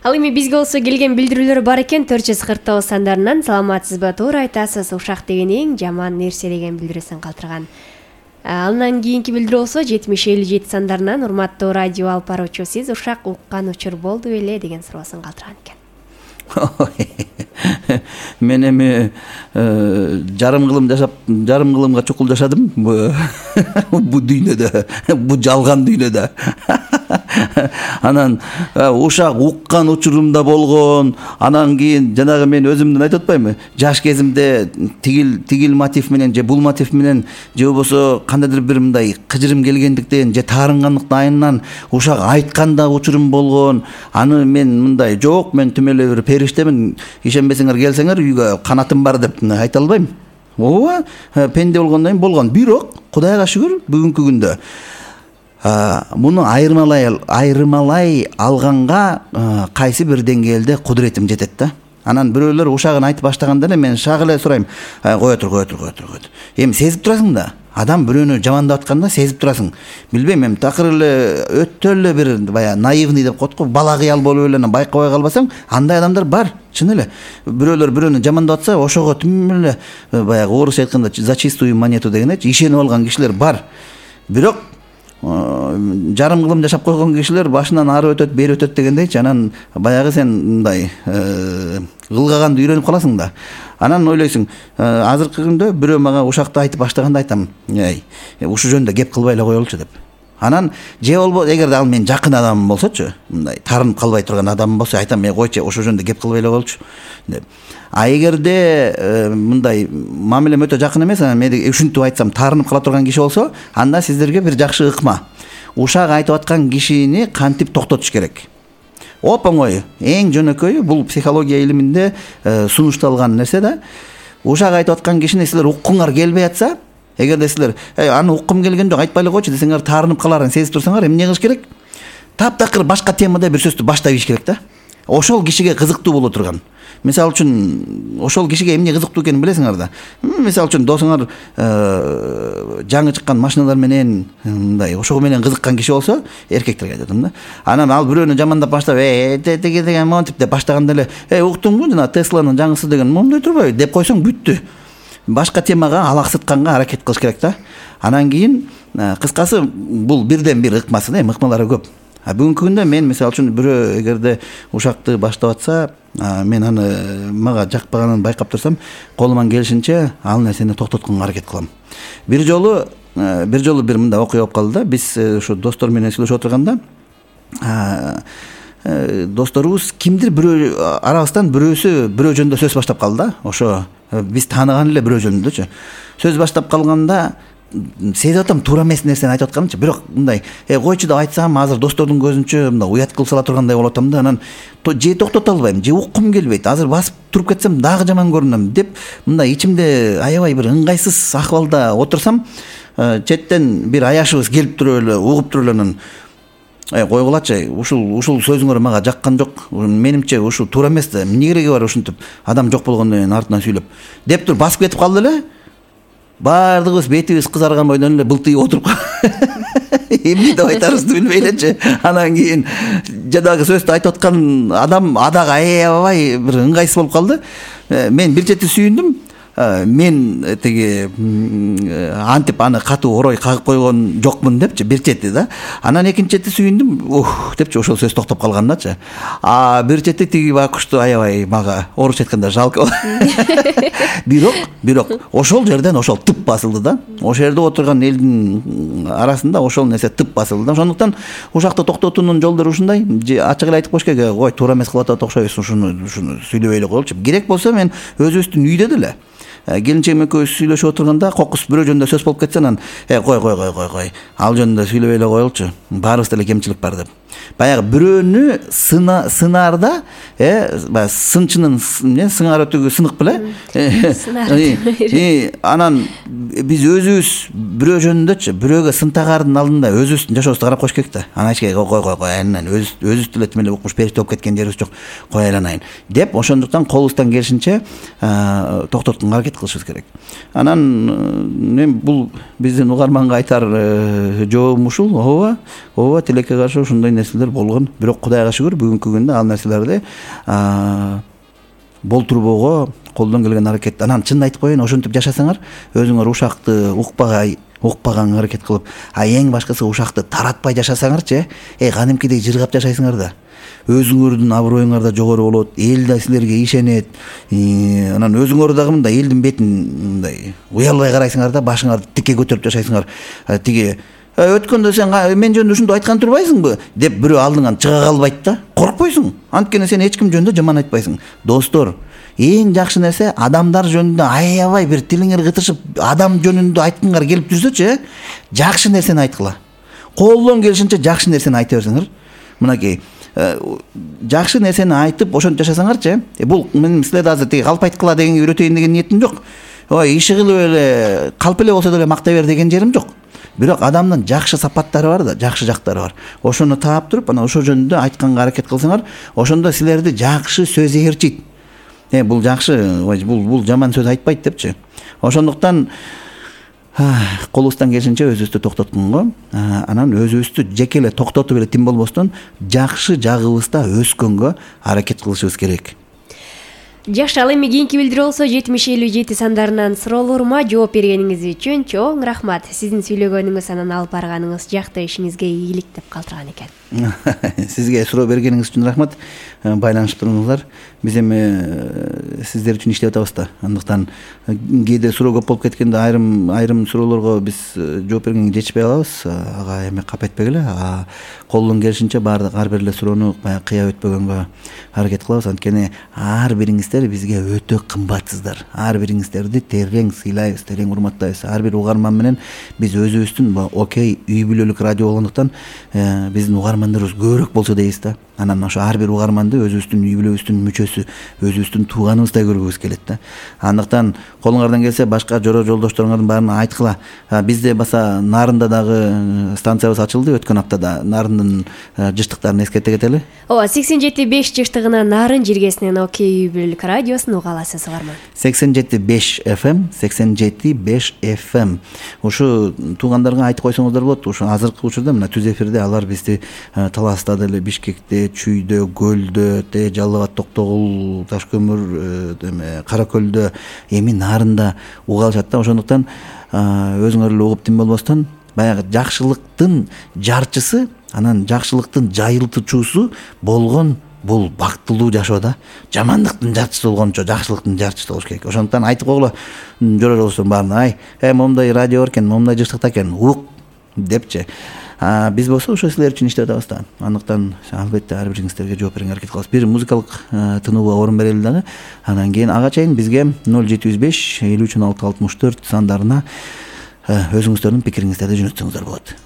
C: Ал эми бизге болсо келген билдирүүлөр бар экен. 449 сандарынан саламатсызбы, туура айтасыз, ушак деген эң жаман нерсе деген билдирүүсүн калтырган. Андан кийинки билдирүү болсо 7057 сандарынан урматтуу радио алып баруучу, сиз ушак уккан учур болду беле деген суроосун калтырган экен.
B: Мен эми жарым кылымга чукул жашадым бу дүйнөдө, бу жалган дүйнөдө. Анан ушак уккан учурумда болгон. Анан кийин жанагы мен өзүмдүн айтып атпаймынбы? Жаш кезимде тигил мотив менен же бул мотив менен, же болбосо кандайдыр бир мындай кыжырым келгендиктен же таарынгандыктын айынан ушак айткан да учурум болгон. Аны мен мындай жок, мен түм эле бир периштемин, ишенбесеңер келсеңер үйгө канатым бар деп айта албайм. Ооба, пенде болгондон кийин болгон. Бирок Кудайга шүгүр, бүгүнкү күндө муну айырмалай алганга кайсы бир деңгээлде кудуретим жетет да. Анан бирөөлөр ушагын айтып баштаганда эле мен шак эле сурайм, кое тур. Эми сезип турасың да. Адам бирөөнү жамандап атканда сезип турасың. Билбейм, эми такыр эле өтө эле бир баягы наивный деп коет го, бала кыял болуп эле байкабай калбасаң, андай адамдар бар. чын эле бирөөлөр бирөөнү жамандап атса ошого тим эле баягы орусча айтканда за чистую монету дегендейчи ишенип алган кишилер бар. Бирок жарым кылым жашап койгон кишилер башынан ары өтөт бери өтөт дегендейчи. Анан баягы сен мындай кылгаганды үйрөнүп каласың да. Анан ойлойсуң азыркы күндө бирөө мага ушакты айтып баштаганда айтам ушул жөнүндө кеп кылбай эле коелучу деп. Анан же болбосо эгерде ал менин жакын адамым болсочу, мындай таарынып калбай турган адамым болсо айтам койчу ошол жөнүндө кеп кылбай эле коелучу деп. А эгерде мындай мамилем өтө жакын эмес, анан мен ушинтип айтсам таарынып кала турган киши болсо, анда сиздерге бир жакшы ыкма. Ушак айтып аткан кишини кантип токтотуш керек? Оп оңой, эң жөнөкөйү бул психология илиминде сунушталган нерсе да. Ушак айтып аткан кишини силер уккуңар келбей атса, эгерде силер аны уккум келген жок, айтпай эле койчу десеңер, таарынып каларын сезип турсаңар, эмне кылыш керек? Таптакыр башка темада бир сөздү баштап ийиш керек да. Ошол кишиге кызыктуу боло турган. Мисалы үчүн ошол кишиге эмне кызыктуу экенин билесиңер да. Мисалы үчүн досуңар жаңы чыккан машиналар менен мындай ошого менен кызыккан киши болсо, эркектерге айтам да. Анан ал бирөөнү жамандап баштап теге деген монтип деп баштаганда эле уктуңбу жана Тесланын жаңысы деген моундай турбайбы деп койсоң бүттү. Башка темага алаксытканга аракет кылыш керек да. Анан кийин кыскасы бул бирден бир ыкмасы да, ыкмалары көп. Бүгүнкү күндө мен мисалы үчүн бирөө эгерде ушакты баштап атса, мен аны мага жакпаганын байкап турсам, колуман келишинче ал нерсени токтотконго аракет кылам. Бир жолу бир мындай окуя болуп калды да. Биз ушу достор менен сүйлөшүп отурганда досторубуз кимдир бирөө арабыздан бирөөсү бирөө жөнүндө сөз баштап калды да. Ошо биз тааныган эле бирөө жөнүндөчү. Сөз баштап калганда сезип атам туура эмес нерсени айтып атканымчы. Бирок мындай койчу деп айтсам, азыр достордун көзүнчө мындай уят кылып сала тургандай болуп атам да. Анан же токтото албайм, же уккум келбейт. Азыр басып туруп кетсем дагы жаман көрүнөм деп мындай ичимде аябай бир ыңгайсыз акыбалда отурсам, четтен бир аяшыбыз келип туруп эле угуп туруп эле анан койгулачы, ушул сөзүңөр мага жаккан жок. Менимче ушул туура эмес да. Эмне кереги бар ушинтип адам жок болгондон кийин артынан сүйлөп деп туруп басып кетип калды эле. Бардыгыбыз бетибиз кызарган бойдон эле былтыйып отуруп эмне деп айтарыбызды билбей элечи. Анан кийин жадагы сөздү айтып аткан адам дагы аябай бир ыңгайсыз болуп калды. Мен бир чети сүйүндүм. Мен теги антип аны катуу орой кагып койгон жокмун депчи бир чети да. Анан экинчи чети сүйүндүм, депчи ошол сөз токтоп калгандачы. Бир чети тиги бакушту аябай мага орусча айтканда жалко. Бирок ошол жерден ошол тып басылды да. Ошол жерде отурган элдин арасында ошол нерсе тып басылды да. Ошондуктан ушакты токтотуунун жолдору ушундай. Ачык эле айтып коюш керек, кой туура эмес кылып атат окшойсуң, ушуну сүйлөбөй эле коелучу. Керек болсо мен өзүбүздүн үйдө деле келинчегим экөөбүз сүйлөшүп отурганда кокус бирөө жөнүндө сөз болуп кетсе, анан кой ал жөнүндө сүйлөбөй эле коелучу, баарыбызда эле кемчилик бар деп. Баягы бирөөнү сынаарда баягы сынчынын сыңар өтүгү сынык беле. Анан биз өзүбүз бирөө жөнүндөчү, бирөөгө сын тагардын алдында өзүбүздүн жашообузду карап коюш керек да. Анан айчке кой анан өзүбүз деле тим эле укмуш периште болуп кеткен жерибиз жок, кой айланайын деп, ошондуктан колубуздан келишинче токтотконго аракет кылышыбыз керек. Анан мен бул биздин угарманга айтар жообум ушул. Ооба, тилекке каршы ушундай нерселер болгон. Бирок Кудайга шүгүр, бүгүнкү күндө ал нерселерди болтурбоого колдон келген аракет. Анан чын айтып коеюн, ошентип жашасаңар, өзүңөр ушакты укпаганга аракет кылып, эң башкысы ушакты таратпай жашасаңарчы, кадимкидей жыргап жашайсыңар да. Өзүңөрдүн аброюңар да жогору болот, эл да силерге ишенет. Анан өзүңөр дагы мындай элдин бетин мындай уялбай карайсыңар да, башыңарды тикке көтөрүп жашайсыңар. Тиги өткөндө сен мен жөнүндө ушунду айткан турбайсыңбы деп бирөө алдыңан чыга калбайт да. Коркпойсуң. Анткени сен эч ким жөнүндө жаман айтпайсың. Достор, эң жакшы нерсе адамдар жөнүндө аябай бир тилиңер кытышып адам жөнүндө айткыңар келип жүрсөчү, жакшы нерсени айткыла. Колдон келишинче жакшы нерсени айта берсеңер. Мынакей жакшы нерсени айтып ошентип жашасаңарчы, бул мен силерди азыр тиги калп айткыла дегенге үйрөтөйүн деген ниетим жок. Иши кылып эле калп эле болсо деле мактай бер деген жерим жок. Бирок адамдын жакшы сапаттары бар да, жакшы жактары бар. Ошону таап туруп, анан ошол жөнүндө айтканга аракет кылсаңар, ошондо силерди жакшы сөз ээрчийт. Бул жакшы, бул жаман сөз айтпайт депчи. Ошондуктан колубуздан келишинче өзүбүздү токтотконго, анан өзүбүздү жеке эле токтотуп эле тим болбостон, жакшы жагыбызда өскөнгө аракет кылышыбыз керек.
C: Жакшы, ал эми кийинки билдирүү болсо 7057 сандарынан суроолорума жооп бергениңиз үчүн чоң рахмат. Сиздин сүйлөгөнүңүз, анан алып барганыңыз жакты ишиңизге ийгилик деп калтырган экен.
B: Сизге суроо бергениңиз үчүн рахмат. Байланышып туруңуздар. Биз эми сиздер үчүн иштеп атабыз да. Андыктан кээде суроо көп болуп кеткенде айрым суроолорго биз жооп бергенге жетишпей калабыз. Ага эми кап этпегиле. Колдон келишинче ар бир эле суроону кыя өтпөгөнгө аракет кылабыз. Анткени ар бириңиздер бизге өтө кымбатсыздар. Ар бириңиздерди терең сыйлайбыз, терең урматтайбыз. Ар бир угарман менен биз өзүбүздүн окей үй бүлөлүк радио болгондуктан биздин угармандарыбыз көбүрөөк болсо дейбиз да. Анан ошо ар бир угарманды өзүбүздүн үй бүлөбүздүн мүчөсү, өзүбүздүн тууганыбыздай көргүбүз келет да. Андыктан колуңардан келсе башка жора жолдошторуңардын баарына айткыла. Бизде баса Нарында дагы станциябыз ачылды өткөн аптада. Нарындын жыштыктарын эскерте кетели.
C: Ооба, 87.5 жыштыгына Нарын жиргесинен окей үй бүлөлүк радиосун уга аласыз угарман.
B: 87.5 FM, 87.5 FM. Ушу туугандарга айтып койсоңуздар болот. Ушу азыркы учурда мына түз эфирде алар бизди Таласта деле, Бишкекте, Чүйдө, Көлдө, Жалал Абад, Токтогул, Ташкөмүр, Кара Көлдө, эми Нарында уга алышат да. Ошондуктан өзүңөр эле угуп тим болбостон баягы жакшылыктын жарчысы, анан жакшылыктын жайылтуучусу болгон бул бактылуу жашоо да. Жамандыктын жарчысы болгончо жакшылыктын жарчысы болуш керек. Ошондуктан айтып койгула жора жолдоштордун баарына, момундай радио бар экен, момундай жыштыкта экен, ук депчи. Биз болсо ошо силер үчүн иштеп атабыз да. Андыктан албетте ар бириңиздерге жооп берүүгө аракет кылабыз. Бир музыкалык тынуубга орун берели дагы. Анан кийин ага чейин бизге 0705 53 64 сандарына өзүңүздөрдүн пикириңиздерди жөнөтсөңүздөр болот.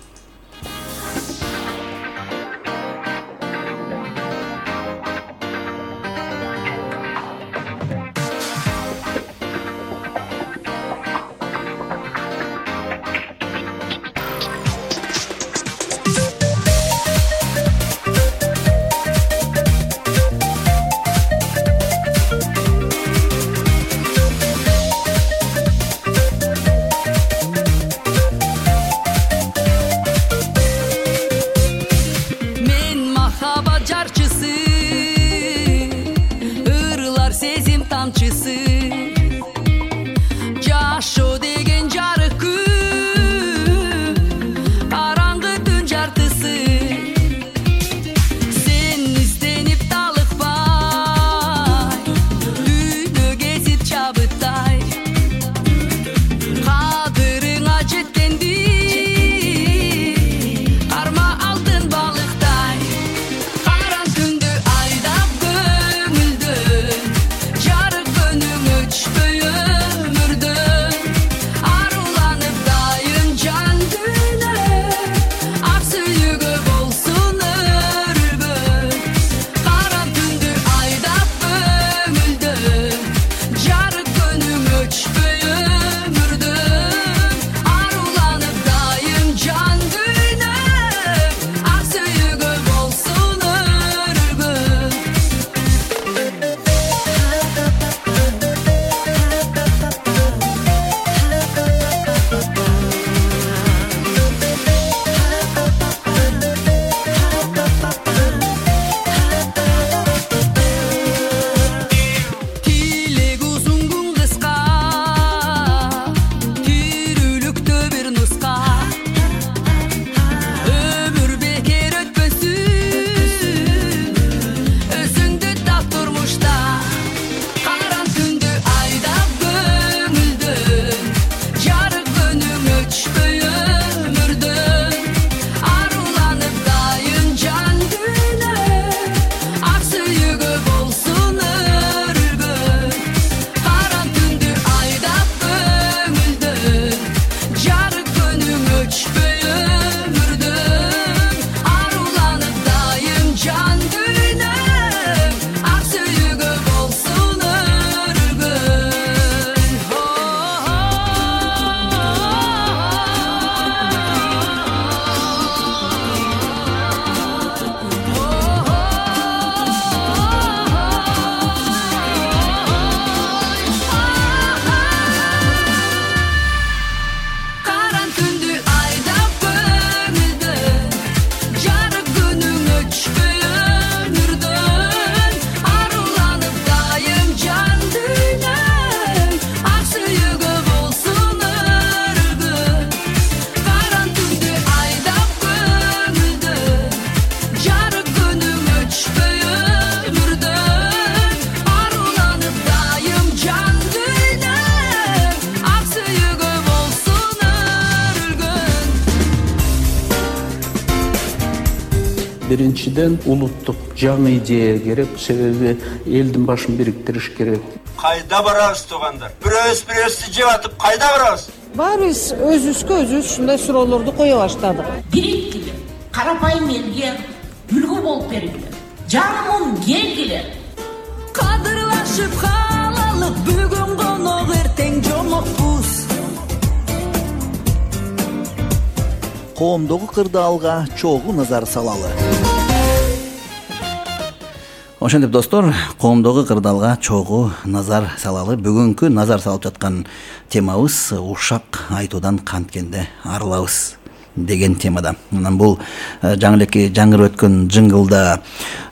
E: Jarık gönlüm Биринчиден улуттук жаңы идея керек, себеби элдин башын бириктириш керек.
F: Кайда барабыз туугандар? Бирөөбүздү жеп атып кайда барабыз?
G: Барыбыз өзүбүзгө өзүбүз ушундай суроолорду кое баштадык.
H: Бириктигиле, карапайым элге үлгү болуп бергиле. Жаным келгиле.
I: Кадырлашып калалы, бүгүн конок, эртең жомокпуз.
B: Коомдогу кырдаалга чогуу назар салалы. Ошентип достор, коомдогу кырдаалга чогуу назар салалы. Бүгүнкү назар салып жаткан темабыз ушак айтуудан канткенде арылабыз деген темада. Анан бул жаңы элеки жаңырып өткөн жингылда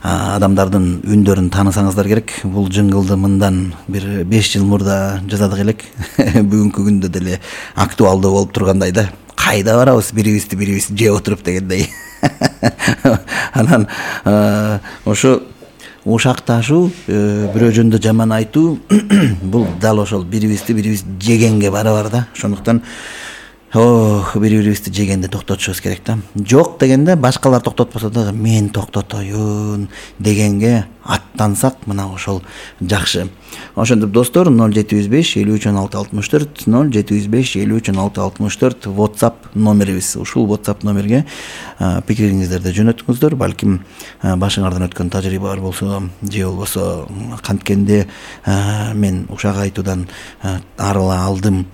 B: адамдардын үндөрүн таанысаңыздар керек. Бул жингылды мындан бир 5 жыл мурда жазадык элек. Бүгүнкү күндө деле актуалдуу болуп тургандай да. Кайда барабыз бирибизди жеп отуруп дегендей. Анан ошо ушак ташуу, бирөө жөнүндө жаман айтуу бул дал ошол бирибиз жегенге барабар да. Ошондуктан бири-бирибизди жегенди токтотушубуз керек да. Жок дегенде башкалар токтотпосо дагы мен токтотоюн дегенге аттансак мына ошол жакшы. Ошентип достор 0705 53 16 64 0705 53 16 64 WhatsApp номерибиз. Ушул WhatsApp номерге пикириңиздерди жөнөтүңүздөр. Балким башыңардан өткөн тажрыйба бар болсо, же болбосо канткенде мен ушак айтуудан арыла алдым.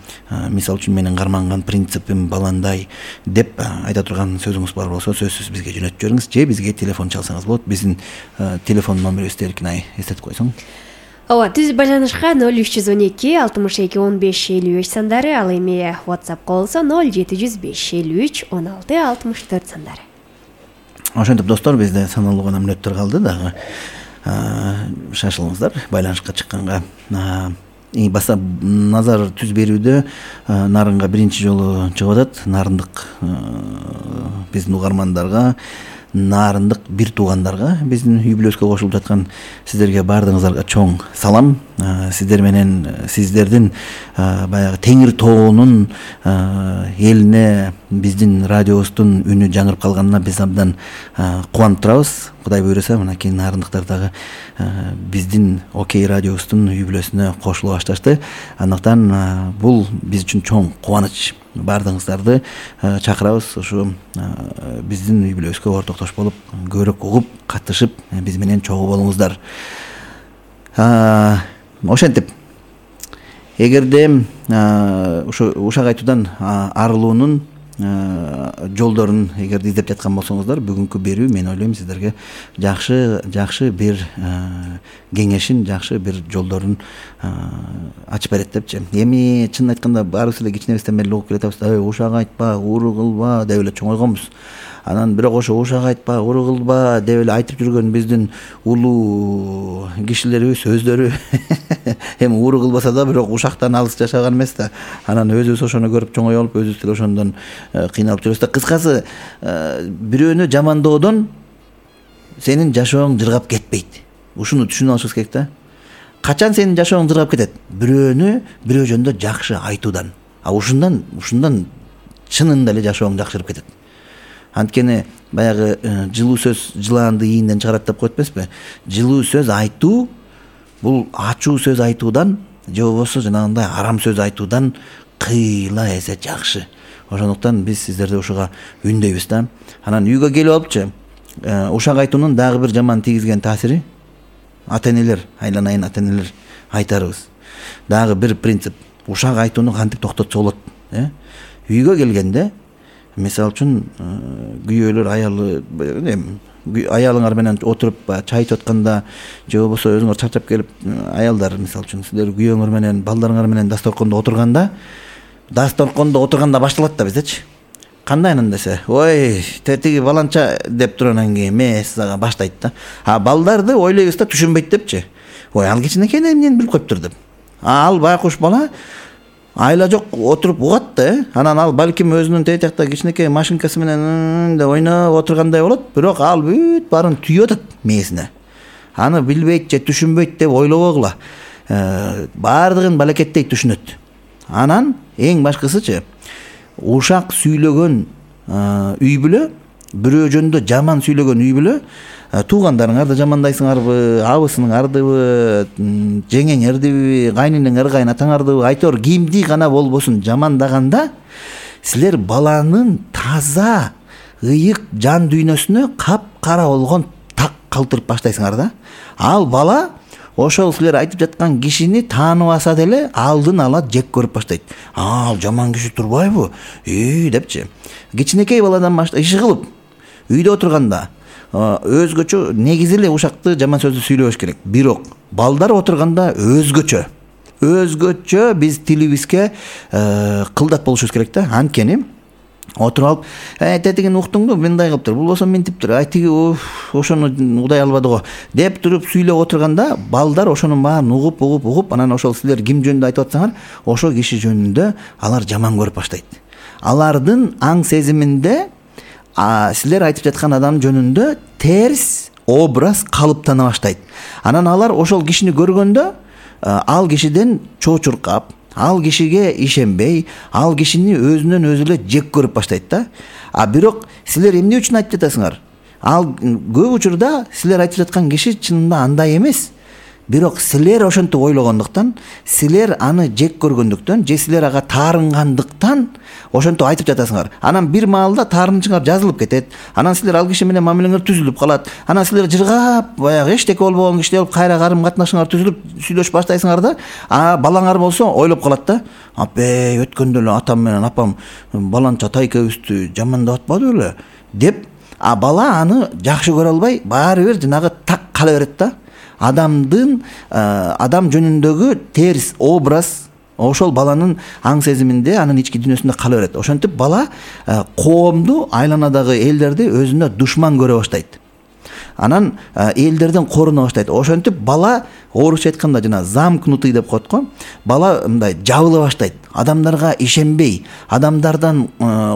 B: Мисалы үчүн менин карманган принципим баландай деп айта турган сөзүңүз бар болсо, сөзсүз бизге жөнөтүп жибериңиз. Же бизге телефон чалсаңыз болот. Биздин телефон номерибизди Эркинай эстетип койсоң.
C: Ооба, түз байланышка 0312 62 15 55 сандары, ал эми WhatsApp болсо 0705 53 16 64 сандары.
B: Ошентип достор, бизде саналуу гана мүнөттөр калды дагы. Шашылыңыздар байланышка чыкканга. Баса назар түз берүүдө Нарынга биринчи жолу чыгып атат. Нарындык биздин угармандарга, Нарындык бир туугандарга, биздин үй-бүлөскө кошулуп жаткан сиздерге баардыгыңыздарга чоң салам. Сиздер менен сиздердин баягы Теңир тоонун элине биздин радиобуздун үнү жаңырып калганына биз абдан кубанып турабыз. Кудай буйруса, мынакей нарындыктар дагы биздин Окей радиобуздун үй-бүлөсүнө кошулуп башташты. Андыктан бул биз үчүн чоң кубаныч. Баардыгыңыздарды чакырабыз ушу биздин үй-бүлөбүзгө ортоктош болуп, көбүрөөк угуп, катышып, биз менен чогуу болуңуздар. Ошентип, эгерде ушу ушак айтуудан арылуунун жолдорун эгерде издеп жаткан болсоңуздар, бүгүнкү берүү мен ойлойм сиздерге жакшы бир кеңешин, жакшы бир жолдорун ачып берет депчи. Эми чынын айтканда баарыбыз эле кичинебизден бери угуп келатабыз. Ушак айтпа, уру кылба деп эле чоңойгонбуз. Анан бирок ошо ушак айтпа, уру кылба деп эле айтып жүргөн биздин улуу кишилерибиз өздөрү эми уру кылбаса да бирок ушактан алыс жашаган эмес да. Анан өзүбүз ошону көрүп чоңой болуп, өзүбүз деле ошондон кыйналып жүрөбүз да. Кыскасы, бирөөнү жамандоодон сенин жашооң жыргап кетпейт. Ушуну түшүнүп алышыбыз керек да. Качан сенин жашооң жыргап кетет? Бирөө жөнүндө жакшы айтуудан. Ушундан чынында эле жашооң жакшырып кетет. Анткени баягы жылуу сөз жылаанды ийинден чыгарат деп коет эмеспи? Жылуу сөз айтуу бул ачуу сөз айтуудан, же болбосо жанагындай арам сөз айтуудан кыйла эсе жакшы. Ошондуктан биз сиздерди ушуга үндөйбүз да. Анан үйгө келип алыпчы, ушак айтуунун дагы бир жаман тийгизген таасири ата-энелер, айланайын ата-энелер айтарыбыз. Дагы бир принцип, ушак айтууну кантип токтотсо болот? Үйгө келгенде, мисалы үчүн күйөөлөр аялыңар менен отуруп чай ичип атканда, же болбосо өзүңөр чарчап келип, аялдар мисалы үчүн сиздер күйөөңөр менен, балдарыңар менен дасторкондо отурганда башталат да биздечи. Кандай анан десе, ой, тиги баланча деп тургандан кийин эмес ага баштайт да. Балдарды ойлойбуз да, түшүнбөйт депчи. Ой, ал кичинекей эмнени билип коюптур деп. Ал байкуш бала айла жок отуруп угат да. Анан ал балким өзүнүн тээ жакта кичинекей машинкасы менен деп ойноп отургандай болот, бирок ал бүт баарын түйүп атат мээсине. Аны билбейт же түшүнбөйт деп ойлобогула. Баардыгын балекеттей түшүнөт. Анан эң башкысычы, ушак сүйлөгөн үй бүлө бирөө жөнүндө жаман сүйлөгөн үй бүлө туугандарыңарды жамандайсыңарбы, абысыныңардыбы, жеңеңердиби, кайненеңер, кайнатаңардыбы, айтор кимди гана болбосун жамандаганда силер баланын таза ыйык жан дүйнөсүнө капкара болгон так калтырып баштайсыңар да. Ал бала ошол силер айтып жаткан кишини тааныбаса деле алдын ала жек көрүп баштайт. Ал жаман киши турбайбы? Депчи. Кичинекей баладан баштап иши кылып үйдө отурганда өзгөчө негизи эле ушакты жаман сөздү сүйлөбөш керек. Бирок балдар отурганда өзгөчө биз тилибизге кылдат болушубуз керек да. Анткени отуруп алып, тетигин уктуңду, мындай кылыптыр, болбосо мынтиптир, тиги ошону удай албады го деп туруп сүйлөп отурганда балдар ошонун баарын угуп, анан ошол силер ким жөнүндө айтып атсаңар, ошол киши жөнүндө алар жаман көрүп баштайт. Алардын аң сезиминде силер айтып жаткан адам жөнүндө терс образ калыптана баштайт. Анан алар ошол кишини көргөндө ал кишиден чоочуркап, ал кишиге ишенбей, ал кишини өзүнөн өзү эле жек көрүп баштайт да. Бирок силер эмне үчүн айтып жатасыңар? Ал көп учурда силер айтып жаткан киши чынында андай эмес. Бирок силер ошентип ойлогондуктан, силер аны жек көргөндүктөн, же силер ага таарынгандыктан ошентип айтып жатасыңар. Анан бир маалда таарынычыңар жазылып кетет. Анан силер ал киши менен мамилеңер түзүлүп калат. Анан силер жыргап, баягы эчтеке болбогон киши болуп кайра карым катнашыңар түзүлүп сүйлөшүп баштайсыңар да. Балаңар болсо ойлоп калат да. Өткөндө эле атам менен апам баланча тайкебизди жамандап атпады беле деп, бала аны жакшы көрө албай, баары бир жанагы так кала берет да. Адам жөнүндөгү терс образ ошол баланын аң сезиминде, анын ички дүйнөсүндө кала берет. Ошентип бала коомду, айланадагы элдерди өзүнө душман көрө баштайт. Анан элдерден коруна баштайт. Ошентип бала орусча айтканда жана замкнутый деп коет го. Бала мындай жабыла баштайт. Адамдарга ишенбей, адамдардан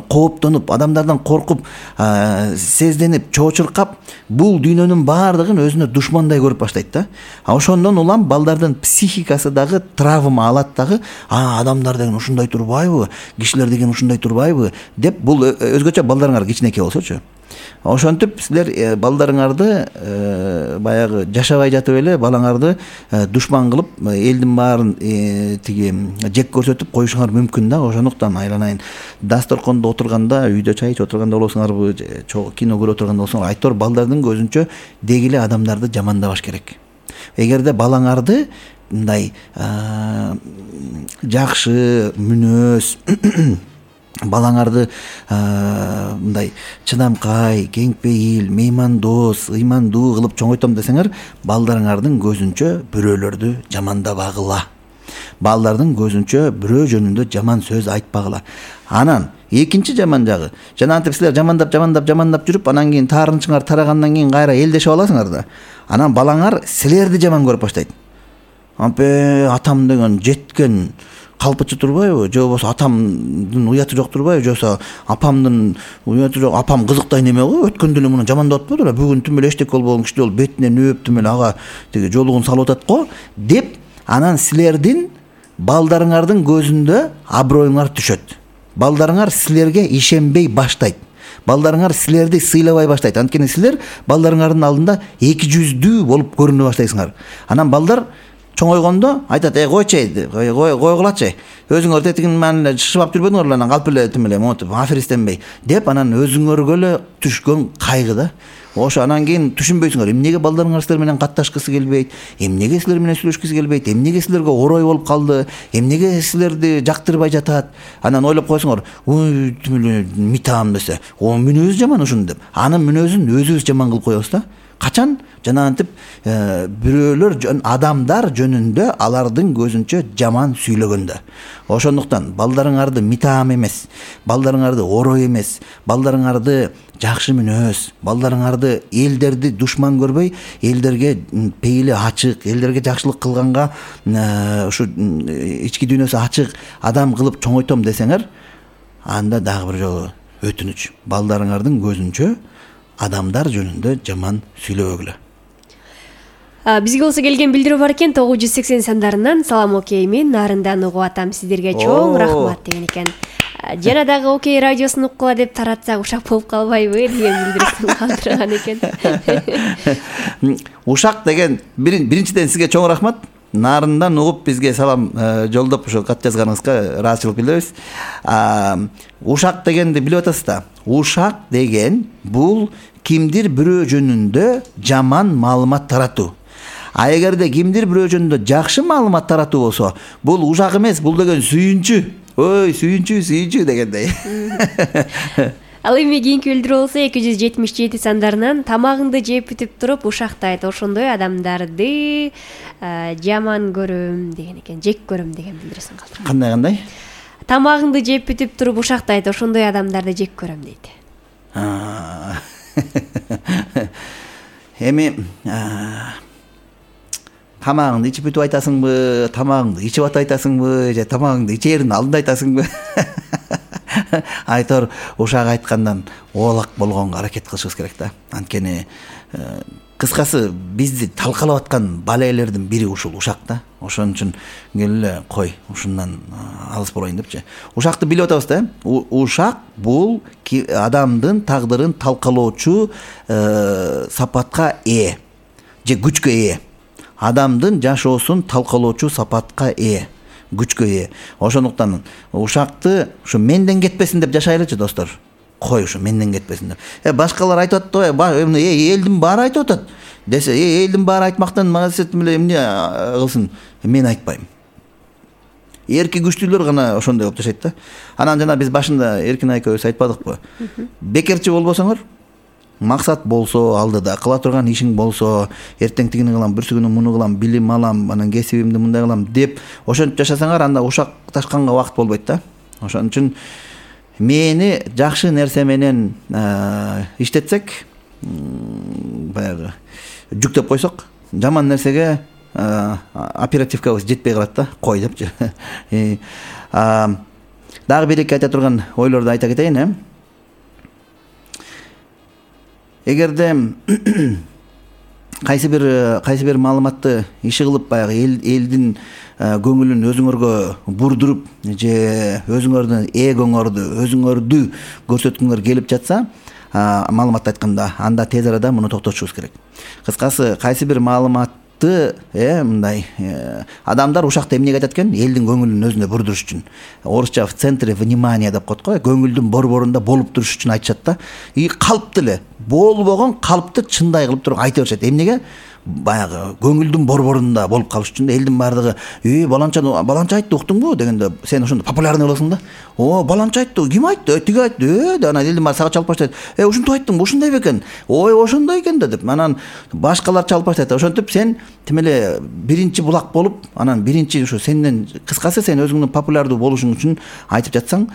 B: кооптонуп, адамдардан коркуп, сезденип, чоочуркап, бул дүйнөнүн баардыгын өзүнө душмандай көрүп баштайт да. Ошондон улам балдардын психикасы дагы травма алат дагы. Адамдар деген ушундай турбайбы, кишилер деген ушундай турбайбы деп, бул өзгөчө балдарыңар кичинекей болсочу. Ошентип силер балдарыңарды баягы жашабай жатып эле балаңарды душман кылып, элдин баарын тиги жек көрсөтүп коюшуңар мүмкүн да. Ошондуктан айланайын, дасторкондо отурганда, үйдө чай ичип отурганда болсоңарбы, кино көрүп отурганда болсоңар, айтор балдардын көзүнчө деги эле адамдарды жамандабаш керек. Эгерде балаңарды мындай жакшы мүнөз балаңарды мындай чыдамкай, кеңпейил, меймандос, ыймандуу кылып чоңойтом десеңер, балдарыңардын көзүнчө бирөөлөрдү жамандабагыла. Балдардын көзүнчө бирөө жөнүндө жаман сөз айтпагыла. Анан экинчи жаман жагы, жанагынтип силер жамандап жүрүп, анан кийин таарынычыңар тарагандан кийин кайра элдешип аласыңар да. Анан балаңар силерди жаман көрүп баштайт. Атам деген жеткен калпычы турбайбы, же болбосо атамдын уяты жок турбайбы, же болбосо апамдын уяты жок, апам кызыктай неме го, өткөндө эле муну жамандап атпады беле, бүгүн түм эле эчтеке болбогон киши болуп бетиненөөп түм эле ага тиги жолугун салып атат го деп, анан силердин балдарыңардын көзүндө аброюңар түшөт. Балдарыңар силерге ишенбей баштайт. Балдарыңар силерди сыйлабай баштайт. Анткени силер балдарыңардын алдында эки жүздүү болуп көрүнө баштайсыңар. Анан балдар чоңойгондо айтат: койчу, койгулачы. Өзүңөр тетигин менен шышыбап жүрбөдүңөр эле, анан калп эле тим эле монтип аферистенбей деп, анан өзүңөргө эле түшкөн кайгы да. Ошо анан кийин түшүнбөйсүңөр, эмнеге балдарыңар силер менен катташкысы келбейт, эмнеге силер менен сүйлөшкүсү келбейт, эмнеге силерге орой болуп калды, эмнеге силерди жактырбай жатат. Анан ойлоп койсоңор, тим эле митаам десе, мүнөзү жаман ушунун деп. Анын мүнөзүн өзүбүз жаман кылып коебуз да. Качан жанагынтип бирөөлөр адамдар жөнүндө алардын көзүнчө жаман сүйлөгөндө. Ошондуктан балдарыңарды митаам эмес, балдарыңарды орой эмес, балдарыңарды жакшы мүнөз, балдарыңарды элдерди душман көрбөй, элдерге пейили ачык, элдерге жакшылык кылганга ушу ички дүйнөсү ачык адам кылып чоңойтом десеңер, анда дагы бир жолу өтүнүч, балдарыңардын көзүнчө адамдар жөнүндө жаман сүйлөбөгүлө.
C: Бизге болсо келген билдирүү бар экен, 980 сандарынан. Салам окей, мен нарындан угуп атам, сиздерге чоң рахмат деген экен. Жана дагы Окей радиосун уккула деп таратсак ушак болуп калбайбы деген билдирүүсүн калтырган экен.
B: Ушак деген биринчиден сизге чоң рахмат. Нарындан угуп бизге салам жолдоп ошо кат жазганыңызга ыраазычылык билдиребиз. Ушак дегенди билип атасыз да. Ушак деген бул кимдир бирөө жөнүндө жаман маалымат таратуу. А эгерде кимдир бирөө жөнүндө жакшы маалымат таратуу болсо, бул ушак эмес, бул деген сүйүнчү. Ой, сүйүнчү дегендей.
C: Ал эми кийинки билдирүү болсо 277 сандарынан тамагыңды жеп бүтүп туруп ушакты айт, ошондой адамдарды жаман көрөм деген экен, жек көрөм деген билдирүүсүн калтырган.
B: Кандай?
C: Тамагыңды жеп бүтүп туруп ушакты айт, ошондой адамдарды жек көрөм дейт.
B: Эми тамагыңды ичип бүтүп айтасыңбы, тамагыңды ичип атайтасыңбы, же тамагыңды ичээрдин алдында айтасыңбы? Айтор ушак айткандан оолак болгонго аракет кылышыбыз керек да. Анткени кыскасы бизди талкалап аткан балелердин бири ушул ушак да. Ошон үчүн келе кой, ушундан алыс болоюн депчи. Ушакты билип атабыз да. Ушак бул адамдын тагдырын талкалоочу сапатка ээ же күчкө ээ. Адамдын жашоосун талкалоочу сапатка ээ, күчкө ээ. Ошондуктан ушакты ушу менден кетпесин деп жашайлычы достор. Кой ушу менден кетпесин деп. Башкалар айтып атты, элдин баары айтып атат. Десе, элдин баары айтмактан магасет эле эмне кылсын? Мен айтпайм. Эрки күчтүүлөр гана ошондой болуп жашайт да. Анан жана биз башында Эркин экөөбүз айтпадыкпы? Бекерчи болбосоңор, максат болсо, алдыда кыла турган ишиң болсо, эртең тигини кылам, бүрсү күнү муну кылам, билим алам, анан кесибимди мындай кылам деп ошентип жашасаңар, анда ушак ташканга убакыт болбойт да. Ошон үчүн мени жакшы нерсе менен иштетсек, баягы жүктөп койсок, жаман нерсеге оперативкабыз жетпей калат да, кой депчи. Дагы бир-эки айта турган ойлорду айта кетейин, Эгерде кайсы бир маалыматты иши кылып баягы элдин көңүлүн өзүңөргө бурдуруп же өзүңөрдүн эгоңорду, өзүңөрдү көрсөткүңөр келип жатса, маалыматты айтканда, анда тез арада муну токтотушубуз керек. Кыскасы, кайсы бир маалыматты мындай адамдар ушакта эмнеге айтат экен? Элдин көңүлүн өзүнө бурдуруш үчүн. Орусча в центре внимания деп коет го, көңүлдүн борборунда болуп туруш үчүн айтышат да. Калыптуу эле болбогон калыпты чындай кылып туруп айта беришет. Эмнеге? Баягы көңүлдүн борборунда болуп калыш үчүн элдин баардыгы баланча айтты, уктуңбу дегенде сен ошондо популярный болосуң да. Баланча айтты, ким айтты? Тиги айтты. Анан элдин баары сага чалып баштайт. Ушинтип айттың, ушундай бекен. Ошондой экен да деп. Анан башкалар чалып баштайт. Ошентип сен тим эле биринчи булак болуп, анан биринчи ушу сенден кыскасы сен өзүңдүн популярдуу болушуң үчүн айтып жатсаң,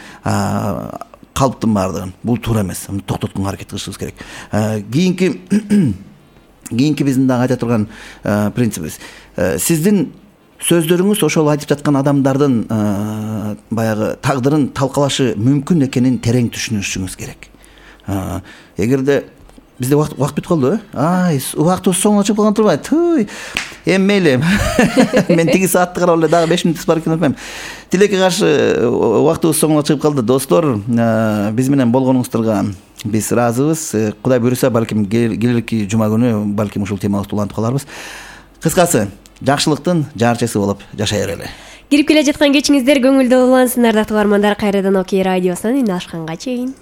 B: калыптын баардыгын. Бул туура эмес. Токтотконго аракет кылышыбыз керек. Кийинки биздин дагы айта турган принцибибиз. Сиздин сөздөрүңүз ошол айтып жаткан адамдардын баягы тагдырын талкалашы мүмкүн экенин терең түшүнүшүңүз керек. Эгерде бизде убакыт бүтүп калды, убактыбыз соңуна чыгып калган турбайбы? Эми мейли. Мен тиги саатты карап эле дагы 5 мүнөт бар экен депмем. Тилекке каршы убактыбыз соңуна чыгып калды. Достор, биз менен болгонуңуздарга биз ыраазыбыз. Кудай буйруса, балким келерки жума күнү балким ушул темаларды улантып каларбыз. Кыскасы, жакшылыктын жарчысы болуп жашай берели.
C: Кирип келе жаткан кечиңиздер көңүлдүү улансындар, дактуу бармандар. Кайрадан Окей радиосунан үн алышканга чейин.